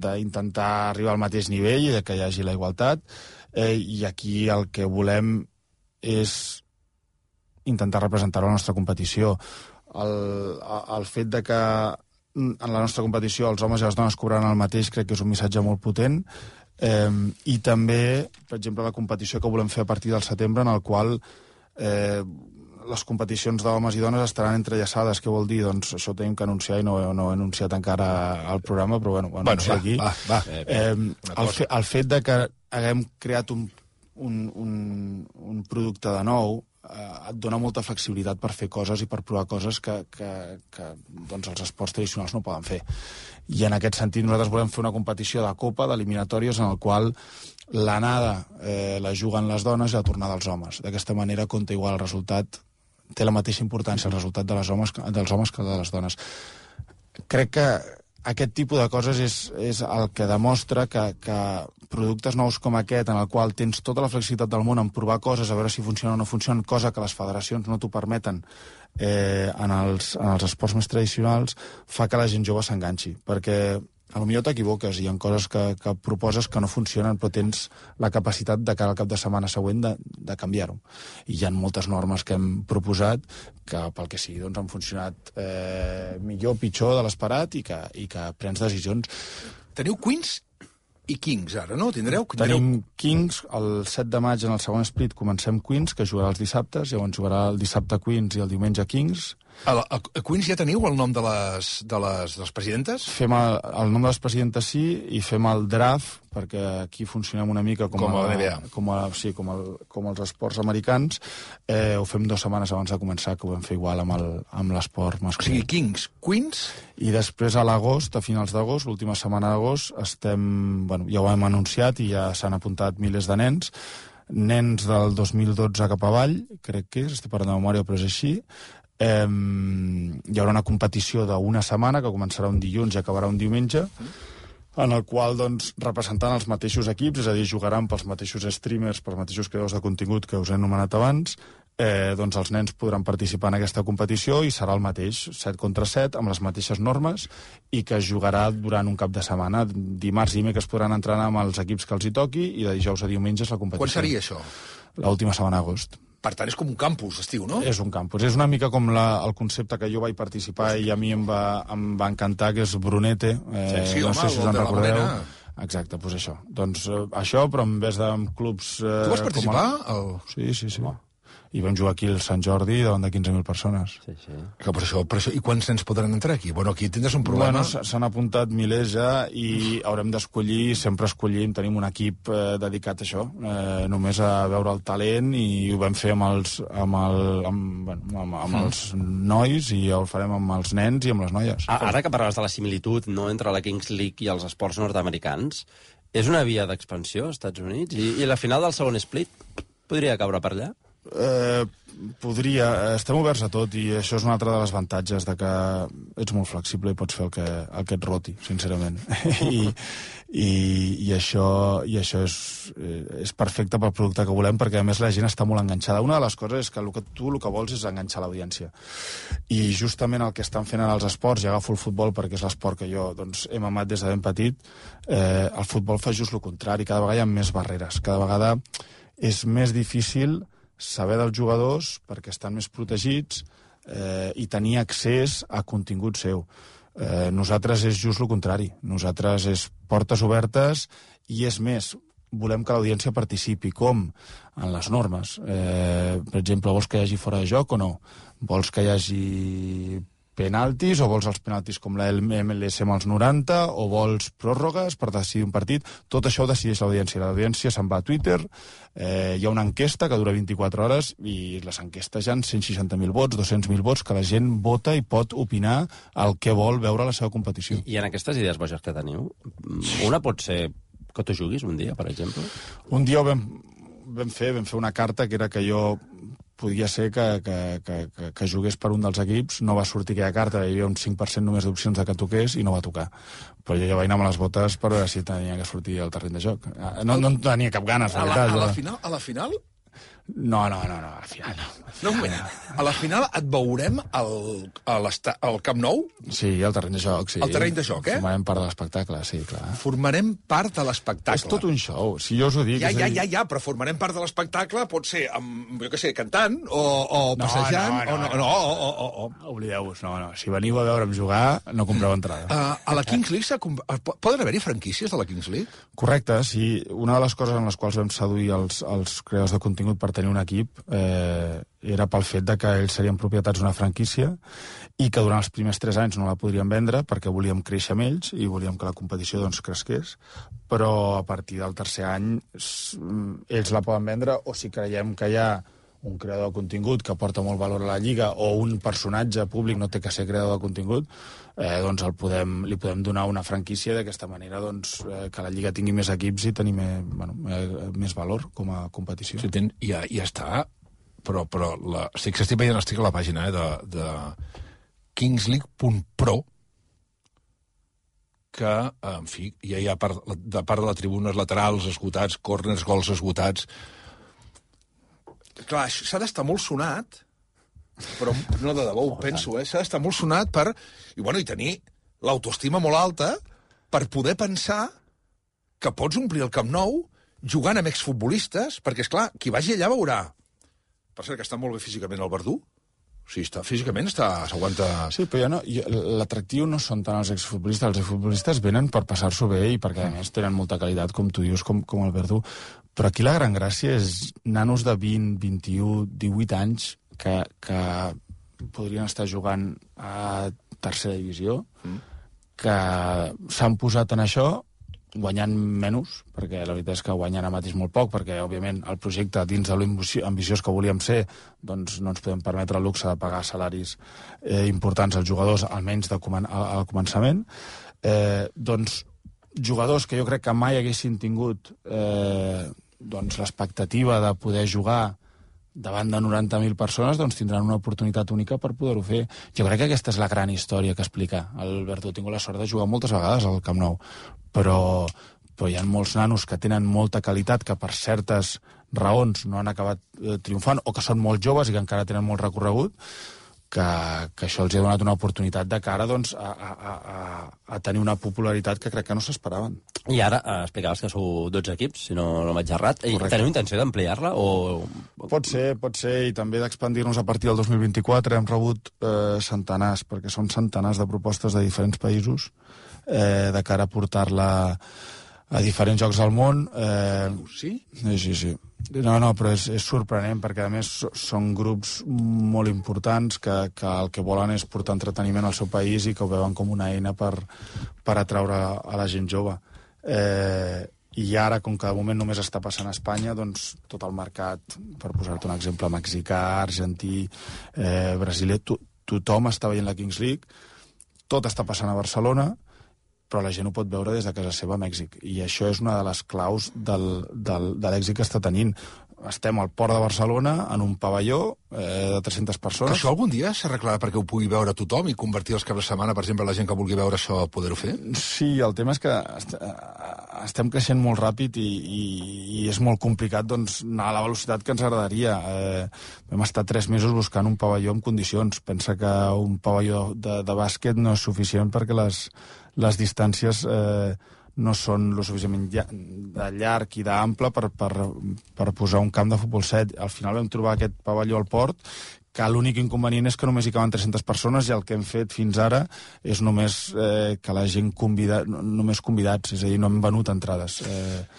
d'intentar arribar al mateix nivell i que hi hagi la igualtat, i aquí el que volem és intentar representar la nostra competició. El fet de que en la nostra competició els homes i les dones cobraran el mateix crec que és un missatge molt potent, i també, per exemple, la competició que volem fer a partir del setembre, en el qual les competicions d'homes i dones estaran entrellaçades. Què vol dir? Doncs això ho tenim que anunciar i no ho he anunciat encara al programa, però ho anuncio aquí. El fet de que haguem creat un producte de nou et dona molta flexibilitat per fer coses i per provar coses que doncs els esports tradicionals no poden fer. I en aquest sentit nosaltres volem fer una competició de copa, d'eliminatòries, en el qual l'anada la juguen les dones i la tornada els homes. D'aquesta manera compta igual el resultat, té la mateixa importància el resultat dels homes que el de les dones. Crec que aquest tipus de coses és el que demostra que productes nous com aquest, en el qual tens tota la flexibilitat del món en provar coses, a veure si funciona o no funciona, cosa que les federacions no t'ho permeten en els esports més tradicionals, fa que la gent jove s'enganxi. Perquè potser t'equivoques, hi ha coses que proposes que no funcionen, però tens la capacitat de cara al cap de setmana següent de canviar-ho. I hi ha moltes normes que hem proposat que, pel que sigui, doncs, han funcionat millor o pitjor de l'esperat i que prens decisions. Teniu Queens i Kings, ara, no? Tenim Kings, el 7 de maig en el segon split comencem Queens, que jugarà els dissabtes, llavors jugarà el dissabte Queens i el diumenge Kings. A Queens ja teniu el nom de les presidentes? Fem el nom de les presidentes sí, i fem el draft, perquè aquí funcionem una mica com a la NBA. Com els esports americans. Ho fem 2 setmanes abans de començar, que ho vam fer igual amb l'esport masculí. O sigui, Kings, Queens... I després a l'agost, a finals d'agost, l'última setmana d'agost, ja ho hem anunciat i ja s'han apuntat milers de nens del 2012 cap avall, crec que és, estic parlant de memòria, però és així. Hi haurà una competició d'una setmana que començarà un dilluns i acabarà un diumenge, en el qual, doncs, representant els mateixos equips, és a dir, jugaran pels mateixos streamers, pels mateixos creadors de contingut que us he anomenat abans, doncs els nens podran participar en aquesta competició i serà el mateix, 7 contra 7, amb les mateixes normes, i que es jugarà durant un cap de setmana. Dimarts i dimecres podran entrenar amb els equips que els hi toqui, i de dijous a diumenge és la competició. Quan seria això? L'última setmana d'agost. Per tant, és com un campus, estiu, no? És un campus. És una mica com el concepte que jo vaig participar i a mi em va encantar, que és Brunete. Sí, no home, sé si us en recordeu. Exacte, doncs això. Doncs això, però en vez de clubs... Tu vas participar? Sí. I vam jugar aquí al Sant Jordi davant de 15.000 persones. Sí. Per això, i quants nens podran entrar aquí? Bueno, aquí tindràs un problema. S'han apuntat milers ja i haurem d'escollir, sempre escollim, tenim un equip dedicat a això, només a veure el talent, i ho vam fer amb els nois i ho farem amb els nens i amb les noies. Ara que parlaves de la similitud entre la Kings League i els esports nord-americans, és una via d'expansió als Estats Units? I la final del segon split podria caure per allà? Podria, estem oberts a tot, i això és un altre de les avantatges de que ets molt flexible i pots fer el que et roti, sincerament. I això és perfecte pel producte que volem, perquè a més la gent està molt enganxada. Una de les coses és que el que vols és enganxar l'audiència, i justament el que estan fent en els esports, i agafo el futbol perquè és l'esport que jo he mamat des de ben petit, el futbol fa just el contrari. Cada vegada hi ha més barreres, cada vegada és més difícil saber dels jugadors perquè estan més protegits i tenir accés a contingut seu. Nosaltres és just el contrari. Nosaltres és portes obertes, i és més, volem que l'audiència participi. Com? En les normes. Per exemple, vols que hi hagi fora de joc o no? Vols que hi hagi penaltis, o vols els penaltis com la MLS amb els 90, o vols pròrrogues per decidir un partit? Tot això ho decideix l'audiència. L'audiència se'n va a Twitter, hi ha una enquesta que dura 24 hores, i les enquestes ja han 160.000 vots, 200.000 vots, que la gent vota i pot opinar el que vol veure a la seva competició. I en aquestes idees boges que teniu, una pot ser que tu juguis un dia, per exemple? Un dia ho vam fer una carta que era que jo podia ser que jugués per un dels equips. No va sortir aquella carta, hi havia un 5% només d'opcions de que toqués, i no va tocar. Però jo ja vaig anar amb les botes per veure si tenia que sortir al terreny de joc. No tenia cap ganes, la veritat. A la final? No, al final no. No, a la final et veurem al Camp Nou? Sí, al terreny de joc, sí. Al terreny de joc, Formarem part de l'espectacle, sí, clar. Formarem part de l'espectacle. És tot un show, si jo us ho dic. Ja, però formarem part de l'espectacle pot ser, jo què sé, cantant, o passejant, no. Oblideu-vos, no. Si veniu a veure'm jugar, no compreu entrada. A la Kings League poden haver-hi franquícies de la Kings League? Correcte, sí. Una de les coses en les quals vam seduir els creadors de contingut per tenir un equip era pel fet de que ells serien propietats d'una franquícia, i que durant els primers 3 anys no la podríem vendre perquè volíem créixer amb ells i volíem que la competició cresqués, però a partir del tercer any ells la poden vendre, o si creiem que hi ha un creador de contingut que aporta molt valor a la Lliga, o un personatge públic, no té que ser creador de contingut, doncs li podem donar una franquícia, d'aquesta manera que la Lliga tingui més equips i tenir més valor com a competició. Sí, ja està, però estic veient, estic a la pàgina de kingsleague.pro, que, en fi, ja hi ha de part de les tribunes laterals esgotats, corners, gols esgotats. Clar, s'ha d'estar molt sonat, però no de debò, ho penso, s'ha d'estar molt sonat i tenir l'autoestima molt alta per poder pensar que pots omplir el Camp Nou jugant amb exfutbolistes, perquè, esclar, qui vagi allà veurà. Per cert, que està molt bé físicament el Verdú. O sigui, físicament s'aguanta... Sí, però l'atractiu no són tant els exfutbolistes. Els exfutbolistes venen per passar-s'ho bé i perquè, a més, tenen molta qualitat, com tu dius, com el Verdú. Però aquí la gran gràcia és nanos de 20, 21, 18 anys que podrien estar jugant a tercera divisió, que s'han posat en això guanyant menys, perquè la veritat és que guanyant ara mateix molt poc, perquè, òbviament, el projecte, dins de l'ambiciós que volíem ser, doncs no ens podem permetre el luxe de pagar salaris importants als jugadors, almenys al començament. Doncs jugadors que jo crec que mai haguessin tingut l'expectativa de poder jugar davant de 90.000 persones, doncs tindran una oportunitat única per poder-ho fer. Jo crec que aquesta és la gran història que explica el Verdú. He tingut la sort de jugar moltes vegades al Camp Nou, però hi ha molts nanos que tenen molta qualitat, que per certes raons no han acabat triomfant, o que són molt joves i que encara tenen molt recorregut, que això els ha donat una oportunitat de cara doncs, a tenir una popularitat que crec que no s'esperaven. I ara explicaves que sou 12 equips, si no m'haig errat. Teniu intenció d'ampliar-la? Pot ser, i també d'expandir-nos a partir del 2024. Hem rebut centenars, perquè són centenars de propostes de diferents països de cara a portar-la a diferents llocs del món. Sí? Sí. No, però és sorprenent, perquè a més són grups molt importants que el que volen és portar entreteniment al seu país i que ho veuen com una eina per atraure a la gent jove. I ara, com que de moment només està passant a Espanya, doncs tot el mercat, per posar-te un exemple, mexicà, argentí, brasiler, tothom està veient la Kings League, tot està passant a Barcelona, però la gent ho pot veure des de casa seva a Mèxic. I això és una de les claus de l'èxit que està tenint. Estem al port de Barcelona, en un pavelló de 300 persones. Que això algun dia s'arreglarà perquè ho pugui veure tothom i convertir els caps de setmana, per exemple, la gent que vulgui veure això, poder-ho fer? Sí, el tema és que estem creixent molt ràpid i és molt complicat doncs, anar a la velocitat que ens agradaria. Vam estar 3 mesos buscant un pavelló en condicions. Pensa que un pavelló de bàsquet no és suficient perquè les distàncies no són lo suficientment de llarg i d'ample per posar un camp de futbol 7. Al final vam trobar aquest pavelló al port, que l'únic inconvenient és que només hi caben 300 persones i el que hem fet fins ara és només que la gent només convidats, és a dir, no hem venut entrades.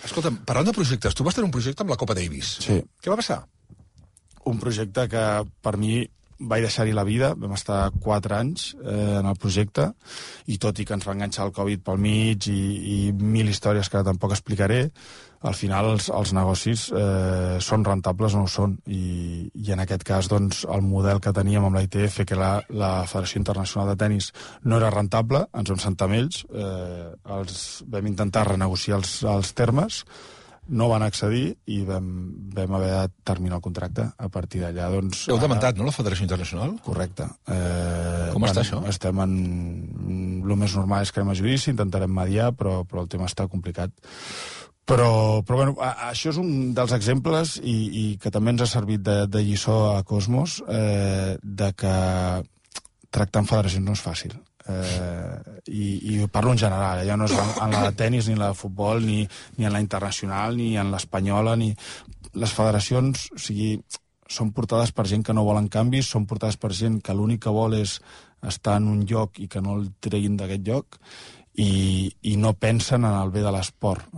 Escolta'm, parlant de projectes, tu vas tenir un projecte amb la Copa Davis. Sí. Què va passar? Un projecte que per mi vaig deixar-hi la vida, vam estar 4 anys en el projecte, i tot i que ens va enganxar el Covid pel mig i 1000 històries que tampoc explicaré, al final els negocis són rentables o no ho són, i en aquest cas doncs, el model que teníem amb la ITF, que la Federació Internacional de Tenis, no era rentable, ens vam sentar amb ells, vam intentar renegociar els termes, no van accedir i vam haver de terminar el contracte. A partir d'allà, doncs... Heu demandat, no, la Federació Internacional? Correcte. Com està això? Estem en... El més normal és que anem a judici, intentarem mediar, però el tema està complicat. Però bueno, això és un dels exemples i que també ens ha servit de lliçó a Cosmos, de que tractar amb federacions no és fàcil. I parlo en general, ja no és en la de tenis ni en la de futbol ni en la internacional ni en l'espanyola ni... Les federacions, o sigui, són portades per gent que no volen canvis, són portades per gent que l'únic que vol és estar en un lloc i que no el treguin d'aquest lloc i no pensen en el bé de l'esport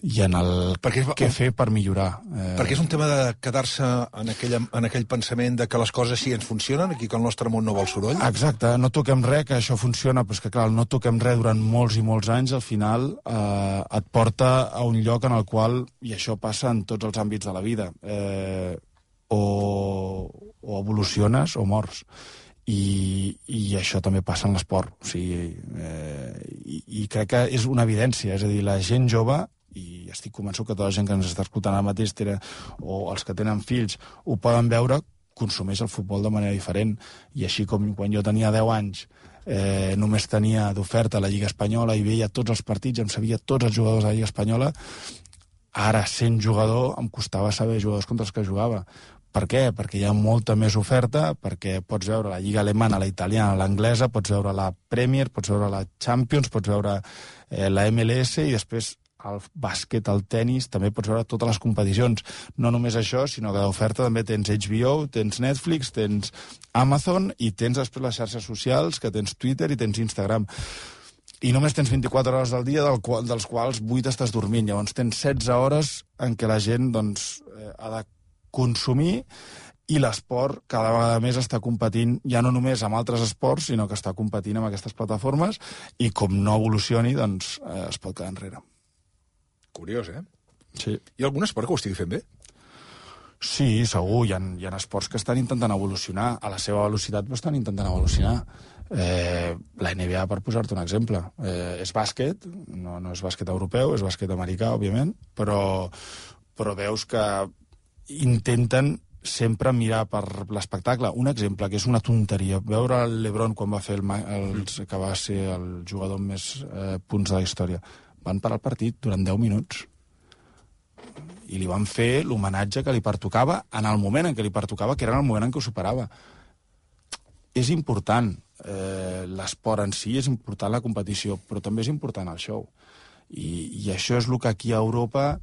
i en el què fer per millorar. Perquè és un tema de quedar-se en aquell pensament de que les coses sí ens funcionen i que el nostre món no vol soroll? Exacte, no toquem res, que això funciona, però és que clar, el no toquem res durant molts i molts anys, al final et porta a un lloc en el qual, i això passa en tots els àmbits de la vida, o evoluciones o mors. I això també passa en l'esport. O sigui, i crec que és una evidència, és a dir, la gent jove, i estic convençut que tota la gent que ens està escoltant ara mateix o els que tenen fills ho poden veure, consumeix el futbol de manera diferent. I així com quan jo tenia 10 anys només tenia d'oferta la Lliga Espanyola i veia tots els partits, em sabia tots els jugadors de la Lliga Espanyola, ara sent jugador em costava saber jugadors contra els que jugava. Per què? Perquè hi ha molta més oferta, perquè pots veure la Lliga alemana, la italiana, l'anglesa, pots veure la Premier, pots veure la Champions, pots veure la MLS, i després el bàsquet, el tennis, també pots veure totes les competicions. No només això, sinó que d'oferta també tens HBO, tens Netflix, tens Amazon i tens després les xarxes socials, que tens Twitter i tens Instagram. I només tens 24 hores al dia, dels quals 8 estàs dormint. Llavors tens 16 hores en què la gent doncs, ha de consumir, i l'esport cada vegada més està competint ja no només amb altres esports, sinó que està competint amb aquestes plataformes, i com no evolucioni, doncs es pot quedar enrere. Curiós, Sí. Hi ha algun esport que ho estigui fent bé? Sí, segur. Hi ha esports que estan intentant evolucionar. A la seva velocitat, però estan intentant evolucionar. La NBA, per posar-te un exemple, és bàsquet, no és bàsquet europeu, és bàsquet americà, òbviament, però veus que intenten sempre mirar per l'espectacle. Un exemple, que és una tonteria, veure el LeBron quan va fer que va ser el jugador amb més punts de la història. Van parar el partit durant 10 minuts i li van fer l'homenatge que li pertocava en el moment en què li pertocava, que era en el moment en què ho superava. És important l'esport en si, és important la competició, però també és important el show. I això és el que aquí a Europa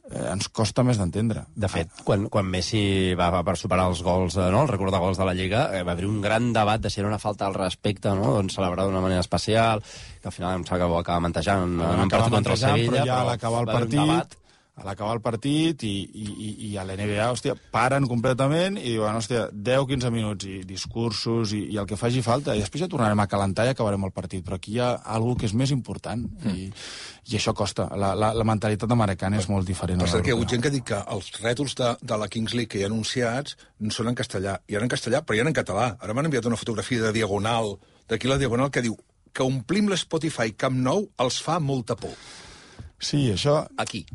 ens costa més d'entendre. De fet, quan Messi va per superar els gols, el record de gols de la Lliga, va haver un gran debat de si era una falta al respecte, doncs celebrar d'una manera especial, que al final em sembla que ho acaba mantejant en un partit contra el Sevilla. Però ja a l'acabar el partit i a l'NBA, hòstia, paren completament i diuen, hòstia, 10-15 minuts i discursos i el que faci falta, i després ja tornarem a calentar i acabarem el partit, però aquí hi ha alguna que és més important i això costa. La mentalitat americana és molt diferent. Per cert, que hi ha hagut gent que ha dit que els rètols de la Kings League que hi ha anunciats són en castellà. Hi ha en castellà, però hi ha en català. Ara m'han enviat una fotografia de Diagonal, d'aquí la Diagonal, que diu que omplim l'Spotify Camp Nou els fa molta por. Sí, això... Aquí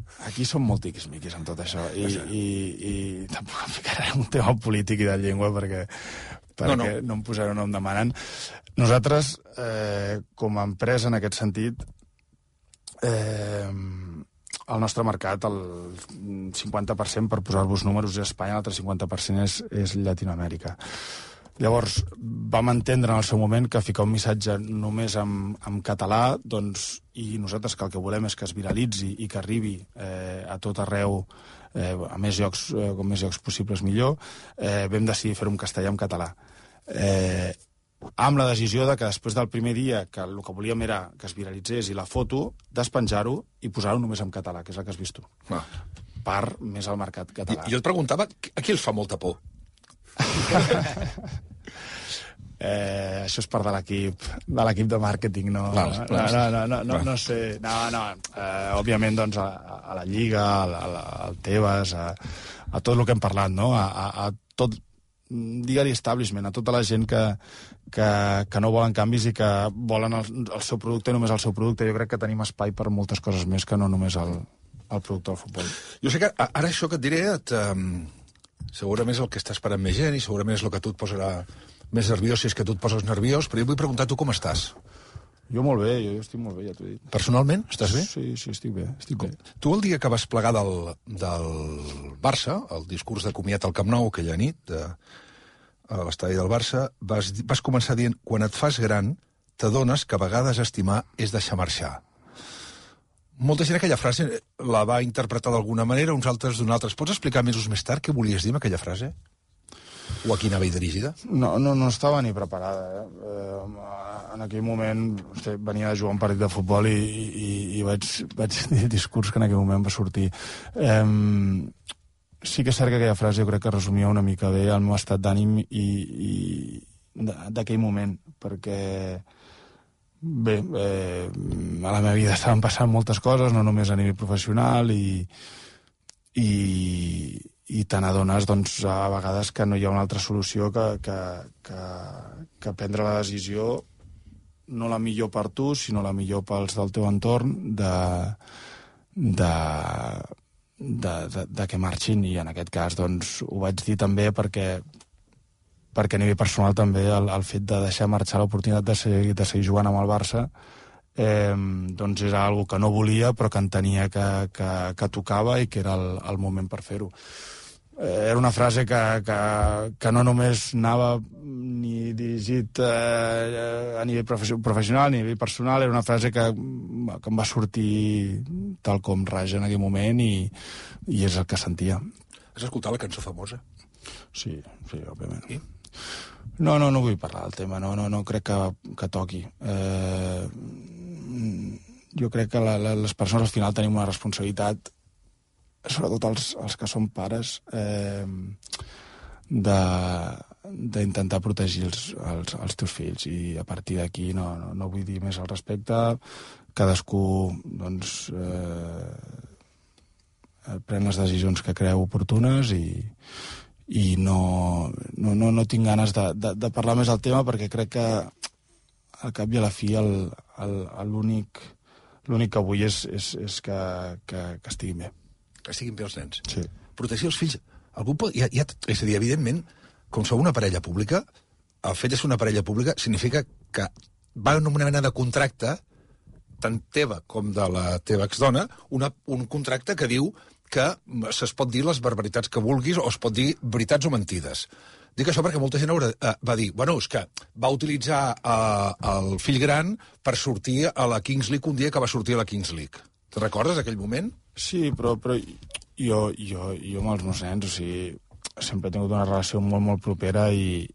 som molt tiquismiquis amb tot això. I tampoc em ficaré en un tema polític i de llengua perquè no em posaré on em demanen. Nosaltres, com a empresa, en aquest sentit, el nostre mercat, el 50%, per posar-vos números, és Espanya, l'altre 50% és Llatinoamèrica. Llavors, vam entendre en el seu moment que ficar un missatge només en català, doncs, i nosaltres que el que volem és que es viralitzi i que arribi a tot arreu, a més llocs, com més llocs possibles millor, vam decidir fer-ho en castellà i en català. Amb la decisió de que després del primer dia que el que volíem era que es viralitzés i la foto, despenjar-ho i posar-ho només en català, que és el que has vist tu. Per més al mercat català. I jo et preguntava, a qui els fa molta por? Això és part de l'equip de màrqueting, no sé. Òbviament, doncs, a la Lliga, al Tebas, a tot el que hem parlat, no? A tot, digue-li establishment, a tota la gent que no volen canvis i que volen el seu producte i només el seu producte. Jo crec que tenim espai per moltes coses més que no només el producte del futbol. Jo sé que ara això que et diré segurament és el que està esperant més gent i segurament és el que tu et posarà més nerviós, si és que tu et poses nerviós, però jo vull preguntar tu com estàs. Jo molt bé, jo estic molt bé, ja t'ho he dit. Personalment, estàs bé? Sí, estic bé. Tu el dia que vas plegar del Barça, el discurs de comiat al Camp Nou, aquella nit, a l'estadi del Barça, vas començar dient, quan et fas gran, t'adones que a vegades estimar és deixar marxar. Molta gent aquella frase la va interpretar d'alguna manera, uns altres d'una altra. Pots explicar mesos més tard què volies dir amb aquella frase? O a qui anava dirigida? No estava ni preparada. En aquell moment venia de jugar un partit de futbol i vaig dir el discurs que en aquell moment va sortir. Sí que és cert que aquella frase jo crec que resumia una mica bé el meu estat d'ànim i d'aquell moment, perquè bé, a la meva vida estaven passant moltes coses, no només a nivell professional, i te n'adones, doncs, a vegades que no hi ha una altra solució que prendre la decisió, no la millor per tu, sinó la millor pels del teu entorn, de que marxin, i en aquest cas, doncs, ho vaig dir també perquè a nivell personal també el fet de deixar marxar l'oportunitat de seguir jugant amb el Barça doncs era algo que no volia però que entenia que tocava i que era el moment per fer-ho. era una frase que no només anava ni dirigit a nivell professional ni a nivell personal, era una frase que em va sortir tal com raja en aquell moment i és el que sentia. Has escoltat la cançó famosa? Sí, òbviament. I? No vull parlar del tema, no crec que toqui. Jo crec que les persones al final tenim una responsabilitat, sobretot els que som pares, d'intentar protegir els teus fills, i a partir d'aquí no vull dir més al respecte. Cadascú doncs pren les decisions que creu oportunes i no tinc ganes de parlar més del tema, perquè crec que al cap i a la fi l'únic que vull és que estiguin bé. Que estiguin bé els nens. Sí. Protegir els fills. Algú pot, és a dir, evidentment, com sou una parella pública, el fet de ser una parella pública significa que va en una mena de contracte, tant teva com de la teva exdona, un contracte que diu que es pot dir les barbaritats que vulguis o es pot dir veritats o mentides. Dic això perquè molta gent va dir, bueno, és que va utilitzar el fill gran per sortir a la Kings League un dia que va sortir a la Kings League. Te recordes aquell moment? Sí, però jo amb els meus nens, o sigui, sempre he tingut una relació molt, molt propera i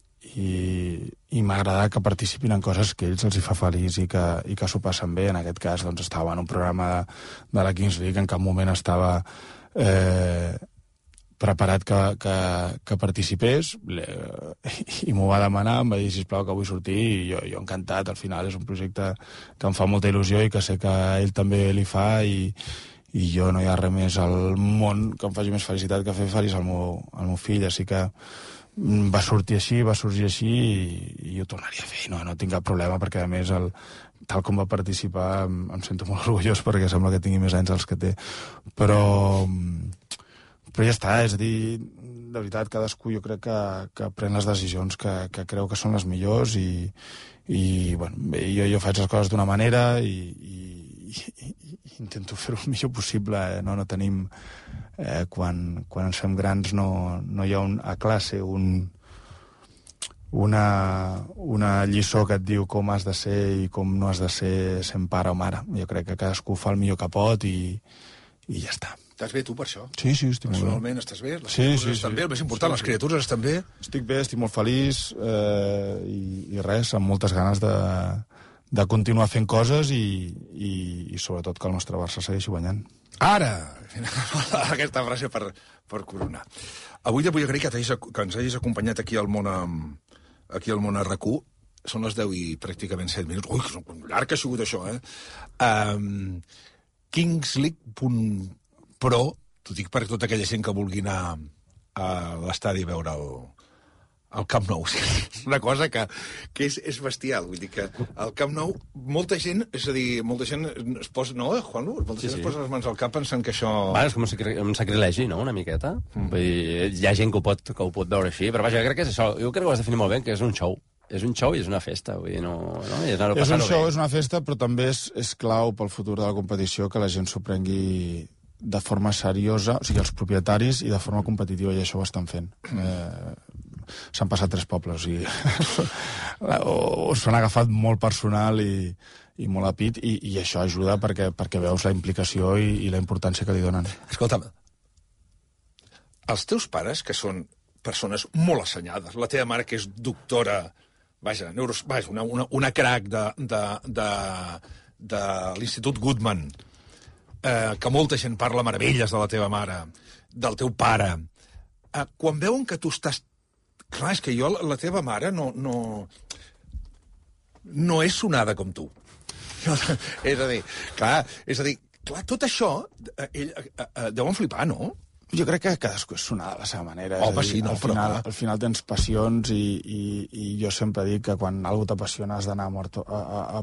m'ha agradat que participin en coses que ells els hi fa feliç i que s'ho passen bé. En aquest cas, doncs, estava en un programa de la Kings League, en cap moment estava preparat que participés, i m'ho va demanar, em va dir, sisplau, que vull sortir, i jo encantat. Al final és un projecte que em fa molta il·lusió i que sé que a ell també li fa, i jo no hi ha res més al món que em faci més felicitat que fer feliç al meu fill, així que va sortir així, va sorgir així, i ho tornaria a fer, no tinc cap problema, perquè a més tal com va participar em sento molt orgullós, perquè sembla que tingui més anys dels que té, però ja està, és a dir, de veritat, cadascú jo crec que pren les decisions que creu que són les millors, i bueno, jo faig les coses d'una manera i intento fer-ho el millor possible, no tenim quan ens fem grans no hi ha a classe una lliçó que et diu com has de ser i com no has de ser sent pare o mare. Jo crec que cadascú fa el millor que pot i ja està. Estàs bé tu per això? Sí, estic molt bé. Personalment estàs bé? Les criatures estan bé? El més important, les criatures estan bé? Estic bé, estic molt feliç, i res, amb moltes ganes de continuar fent coses i sobretot que el nostre Barça segueixi guanyant. Ara! Aquesta frase per coronar. Avui te vull agrair que ens hagis acompanyat aquí al món a RAC1. Són les 10 i pràcticament 7 minuts. Ui, que llarg que ha sigut això, kingsleague.pro, t'ho dic per tota aquella gent que vulgui anar a l'estadi a veure el Camp Nou. És una cosa que és bestial. Vull dir que al Camp Nou molta gent es posa... No, Juanlu? Molta gent es posa les mans al cap pensant que això... Va, és com un sacrilegi, no?, una miqueta. Vull dir, hi ha gent que ho pot veure així, però vaja, jo crec que és això. Jo crec que ho has definit molt bé, que és un show. És un show i és una festa, vull dir, és un show, és una festa, però també és clau pel futur de la competició que la gent s'ho prengui de forma seriosa, o sigui, els propietaris, i de forma competitiva, i això ho estan fent. S'han passat 3 pobles, o sigui, s'han agafat molt personal i molt a pit, i això ajuda perquè veus la implicació i la importància que li donen. Escolta'm, els teus pares, que són persones molt assenyades, la teva mare, que és doctora, una crac de l'Institut Goodman, que molta gent parla meravelles de la teva mare, del teu pare, quan veuen que tu estàs... Clar, és que la teva mare no és sonada com tu. És a dir, tot això, deuen flipar, no? Jo crec que cadascú és sonada a la seva manera. Home, sí, no, al final tens passions i jo sempre dic que quan algú t'apassiona has d'anar a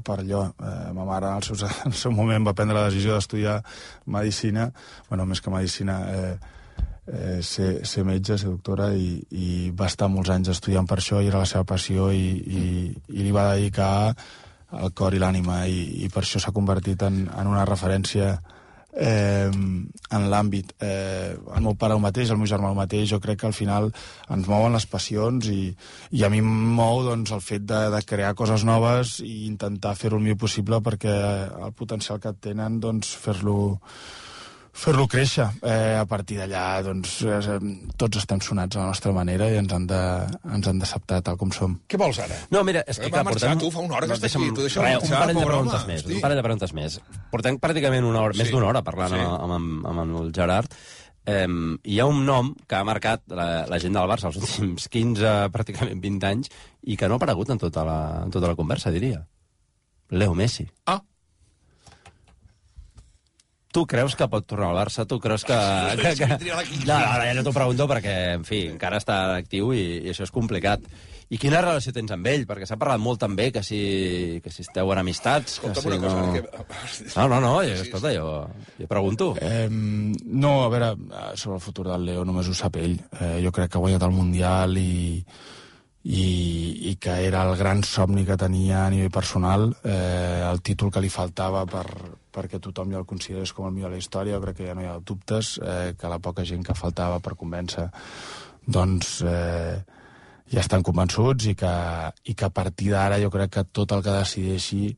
per allò. Ma mare en el seu moment va prendre la decisió d'estudiar medicina, bueno, més que medicina, ser metge, ser doctora, i va estar molts anys estudiant per això, i era la seva passió, i li va dedicar el cor i l'ànima, i per això s'ha convertit en una referència en l'àmbit. El meu pare el mateix, el meu germà el mateix, jo crec que al final ens mouen les passions i a mi em mou doncs, el fet de crear coses noves i intentar fer-ho el millor possible perquè el potencial que tenen doncs, fer-lo créixer. A partir d'allà doncs, tots estem sonats a la nostra manera i ens han d'acceptar tal com som. Què vols ara? No, mira, és que va marxar, tu fa una hora que estàs aquí, tu deixa'm marxar, un parell de pobre preguntes home, més, hosti. un parell de preguntes més. Portem pràcticament una hora, més d'una hora parlant Sí. amb el Gerard. Hi ha un nom que ha marcat la gent del Barça els últims 15, pràcticament 20 anys, i que no ha aparegut en tota la conversa, diria. Leo Messi. Ah, Tu creus que pot tornar al Barça? Tu creus que... No, ja no t'ho pregunto perquè, en fi, encara està actiu i això és complicat. I quina relació tens amb ell? Perquè s'ha parlat molt també que si esteu en amistats... escolta'm que si una cosa. No, escolta, jo pregunto. No, a veure, sobre el futur del Leo només ho sap ell. Jo crec que ha guanyat el Mundial i que era el gran somni que tenia a nivell personal, el títol que li faltava perquè tothom ja el considerés com el millor de la història. Jo crec que ja no hi ha dubtes, que la poca gent que faltava per convèncer doncs ja estan convençuts i que a partir d'ara jo crec que tot el que decideixi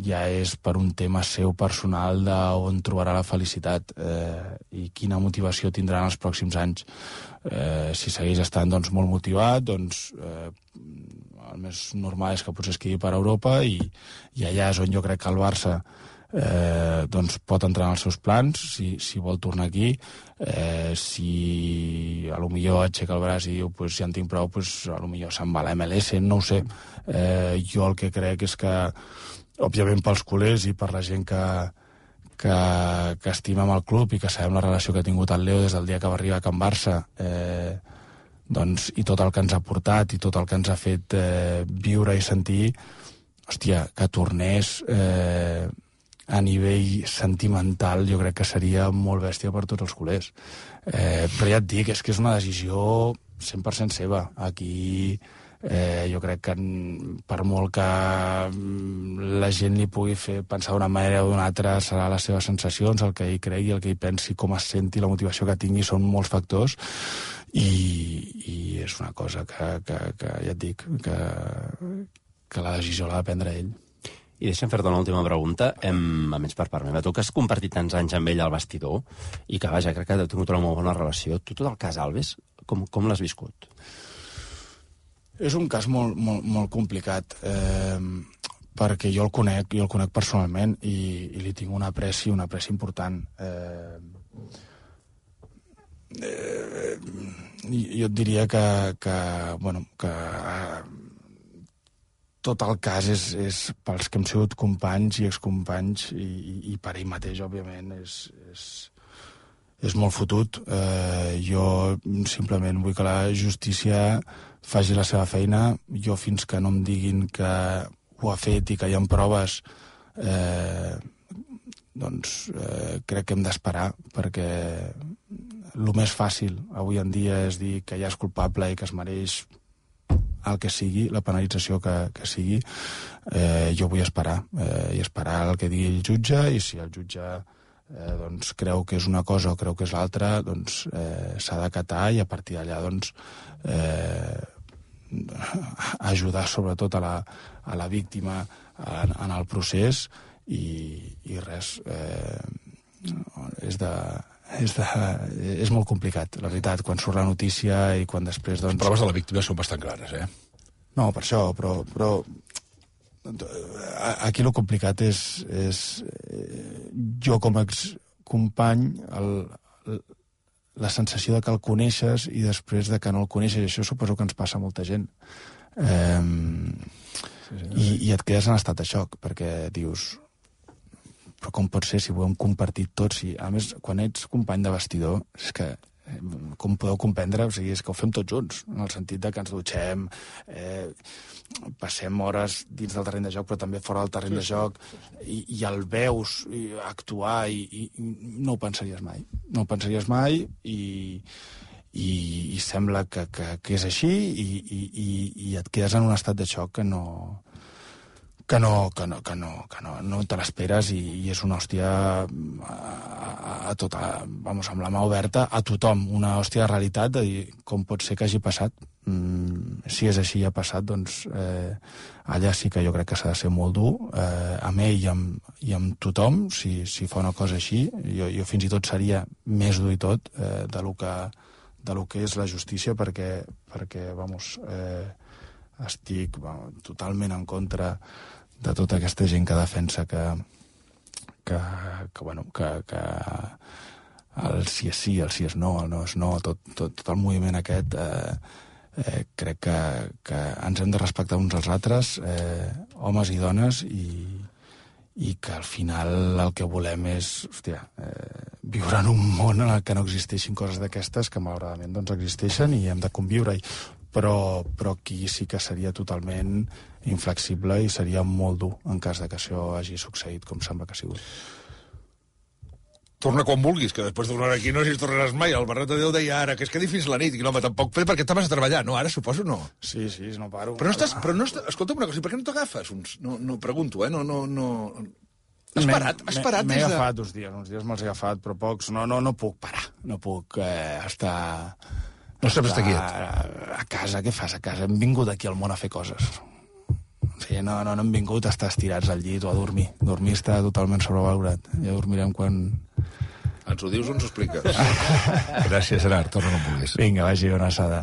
ja és per un tema seu personal d'on trobarà la felicitat i quina motivació tindrà en els pròxims anys. Si segueix estant doncs, molt motivat, doncs el més normal és que potser es quedi per Europa i allà és on jo crec que el Barça doncs pot entrar en els seus plans si vol tornar aquí. Si a lo millor aixeca el braç i diu pues, si en tinc prou, pues, a lo millor se'n va a la MLS, no ho sé. Jo el que crec és que òbviament pels culers i per la gent que estimem el club i que sabem la relació que ha tingut el Leo des del dia que va arribar a Can Barça, doncs, i tot el que ens ha portat i tot el que ens ha fet viure i sentir, hòstia, que tornés a nivell sentimental jo crec que seria molt bèstia per tots els culers. Però ja et dic, és que és una decisió 100% seva. Aquí jo crec que per molt que la gent li pugui fer pensar d'una manera o d'una altra, serà les seves sensacions, el que ell cregui, el que ell pensi, com es senti, la motivació que tingui, són molts factors i és una cosa que ja et dic que la decisió l'ha de prendre ell. I deixa'm fer-te una última pregunta, a més per part meva. Tu que has compartit tants anys amb ell al vestidor i que, vaja, crec que heu tingut una molt bona relació, tu tot el cas Alves, com l'has viscut? És un cas molt complicat, perquè jo el conec personalment i li tinc un apreci important. Jo et diria que tot el cas és pels que hem sigut companys i excompanys i per ell mateix, òbviament, és molt fotut. Jo simplement vull que la justícia faci la seva feina. Jo, fins que no em diguin que ho ha fet i que hi ha proves, doncs crec que hem d'esperar, perquè el més fàcil avui en dia és dir que ja és culpable i que es mereix el que sigui, la penalització que sigui. Jo vull esperar i esperar el que digui el jutge, i si el jutge doncs, creu que és una cosa o creu que és l'altra, doncs s'ha d'acatar i a partir d'allà doncs ajudar sobretot a la víctima en el procés i res, és molt complicat, la veritat, quan surt la notícia i quan després doncs... Les proves de la víctima són bastant clares, No, per això, però aquí el complicat és jo com a excompany la sensació de que el coneixes i després de que no el coneixes, i això suposo que ens passa a molta gent, i et quedes en estat de xoc, perquè dius, però com pot ser si ho hem compartit tots? A més, quan ets company de vestidor, és que, com podeu comprendre, o sigui, és que ho fem tots junts, en el sentit de que ens dutxem, passem hores dins del terreny de joc, però també fora del terreny de joc, i el veus actuar i no ho pensaries mai. No ho pensaries mai i sembla que és així i et quedes en un estat de xoc que que no te l'esperes i és una hòstia a tota, vamos, amb la mà oberta a tothom, una hòstia de realitat de dir com pot ser que hagi passat. Si és així i ha passat, doncs allà sí que jo crec que s'ha de ser molt dur amb ell i amb tothom si fa una cosa així. Jo fins i tot seria més dur i tot de lo que és la justícia perquè vamos, estic totalment en contra de tota aquesta gent que defensa que el sí és sí, el sí és no, el no és no, tot el moviment aquest crec que ens hem de respectar uns als altres, homes i dones, i que al final el que volem és viure en un món en el que no existeixin coses d'aquestes que malauradament doncs existeixen i hem de conviure-hi. Però aquí sí que seria totalment inflexible i seria molt dur en cas de que això hagi succeït com sembla que ha sigut. Torna quan vulguis, que després d'una hora aquí no si tornaràs mai. El Barret de Déu deia ara que es quedi fins la nit. I no, tampoc perquè t'has a treballar, no? Ara suposo no. Sí, no paro. Però no estàs... Escolta'm una cosa, per què no t'agafes? No pregunto, no... Has parat M'he agafat uns dies me'ls he agafat, però pocs. No puc parar, no puc estar... No saps estar quiet. A casa, què fas a casa? Hem vingut aquí al món a fer coses. Sí, no hem vingut a estar estirats al llit o a dormir. Dormir està totalment sobrevalorat. Ja dormirem quan... Ens ho dius o ens ho expliques? Gràcies, Gerard. Torna quan vulguis. Vinga, vagi, una assada.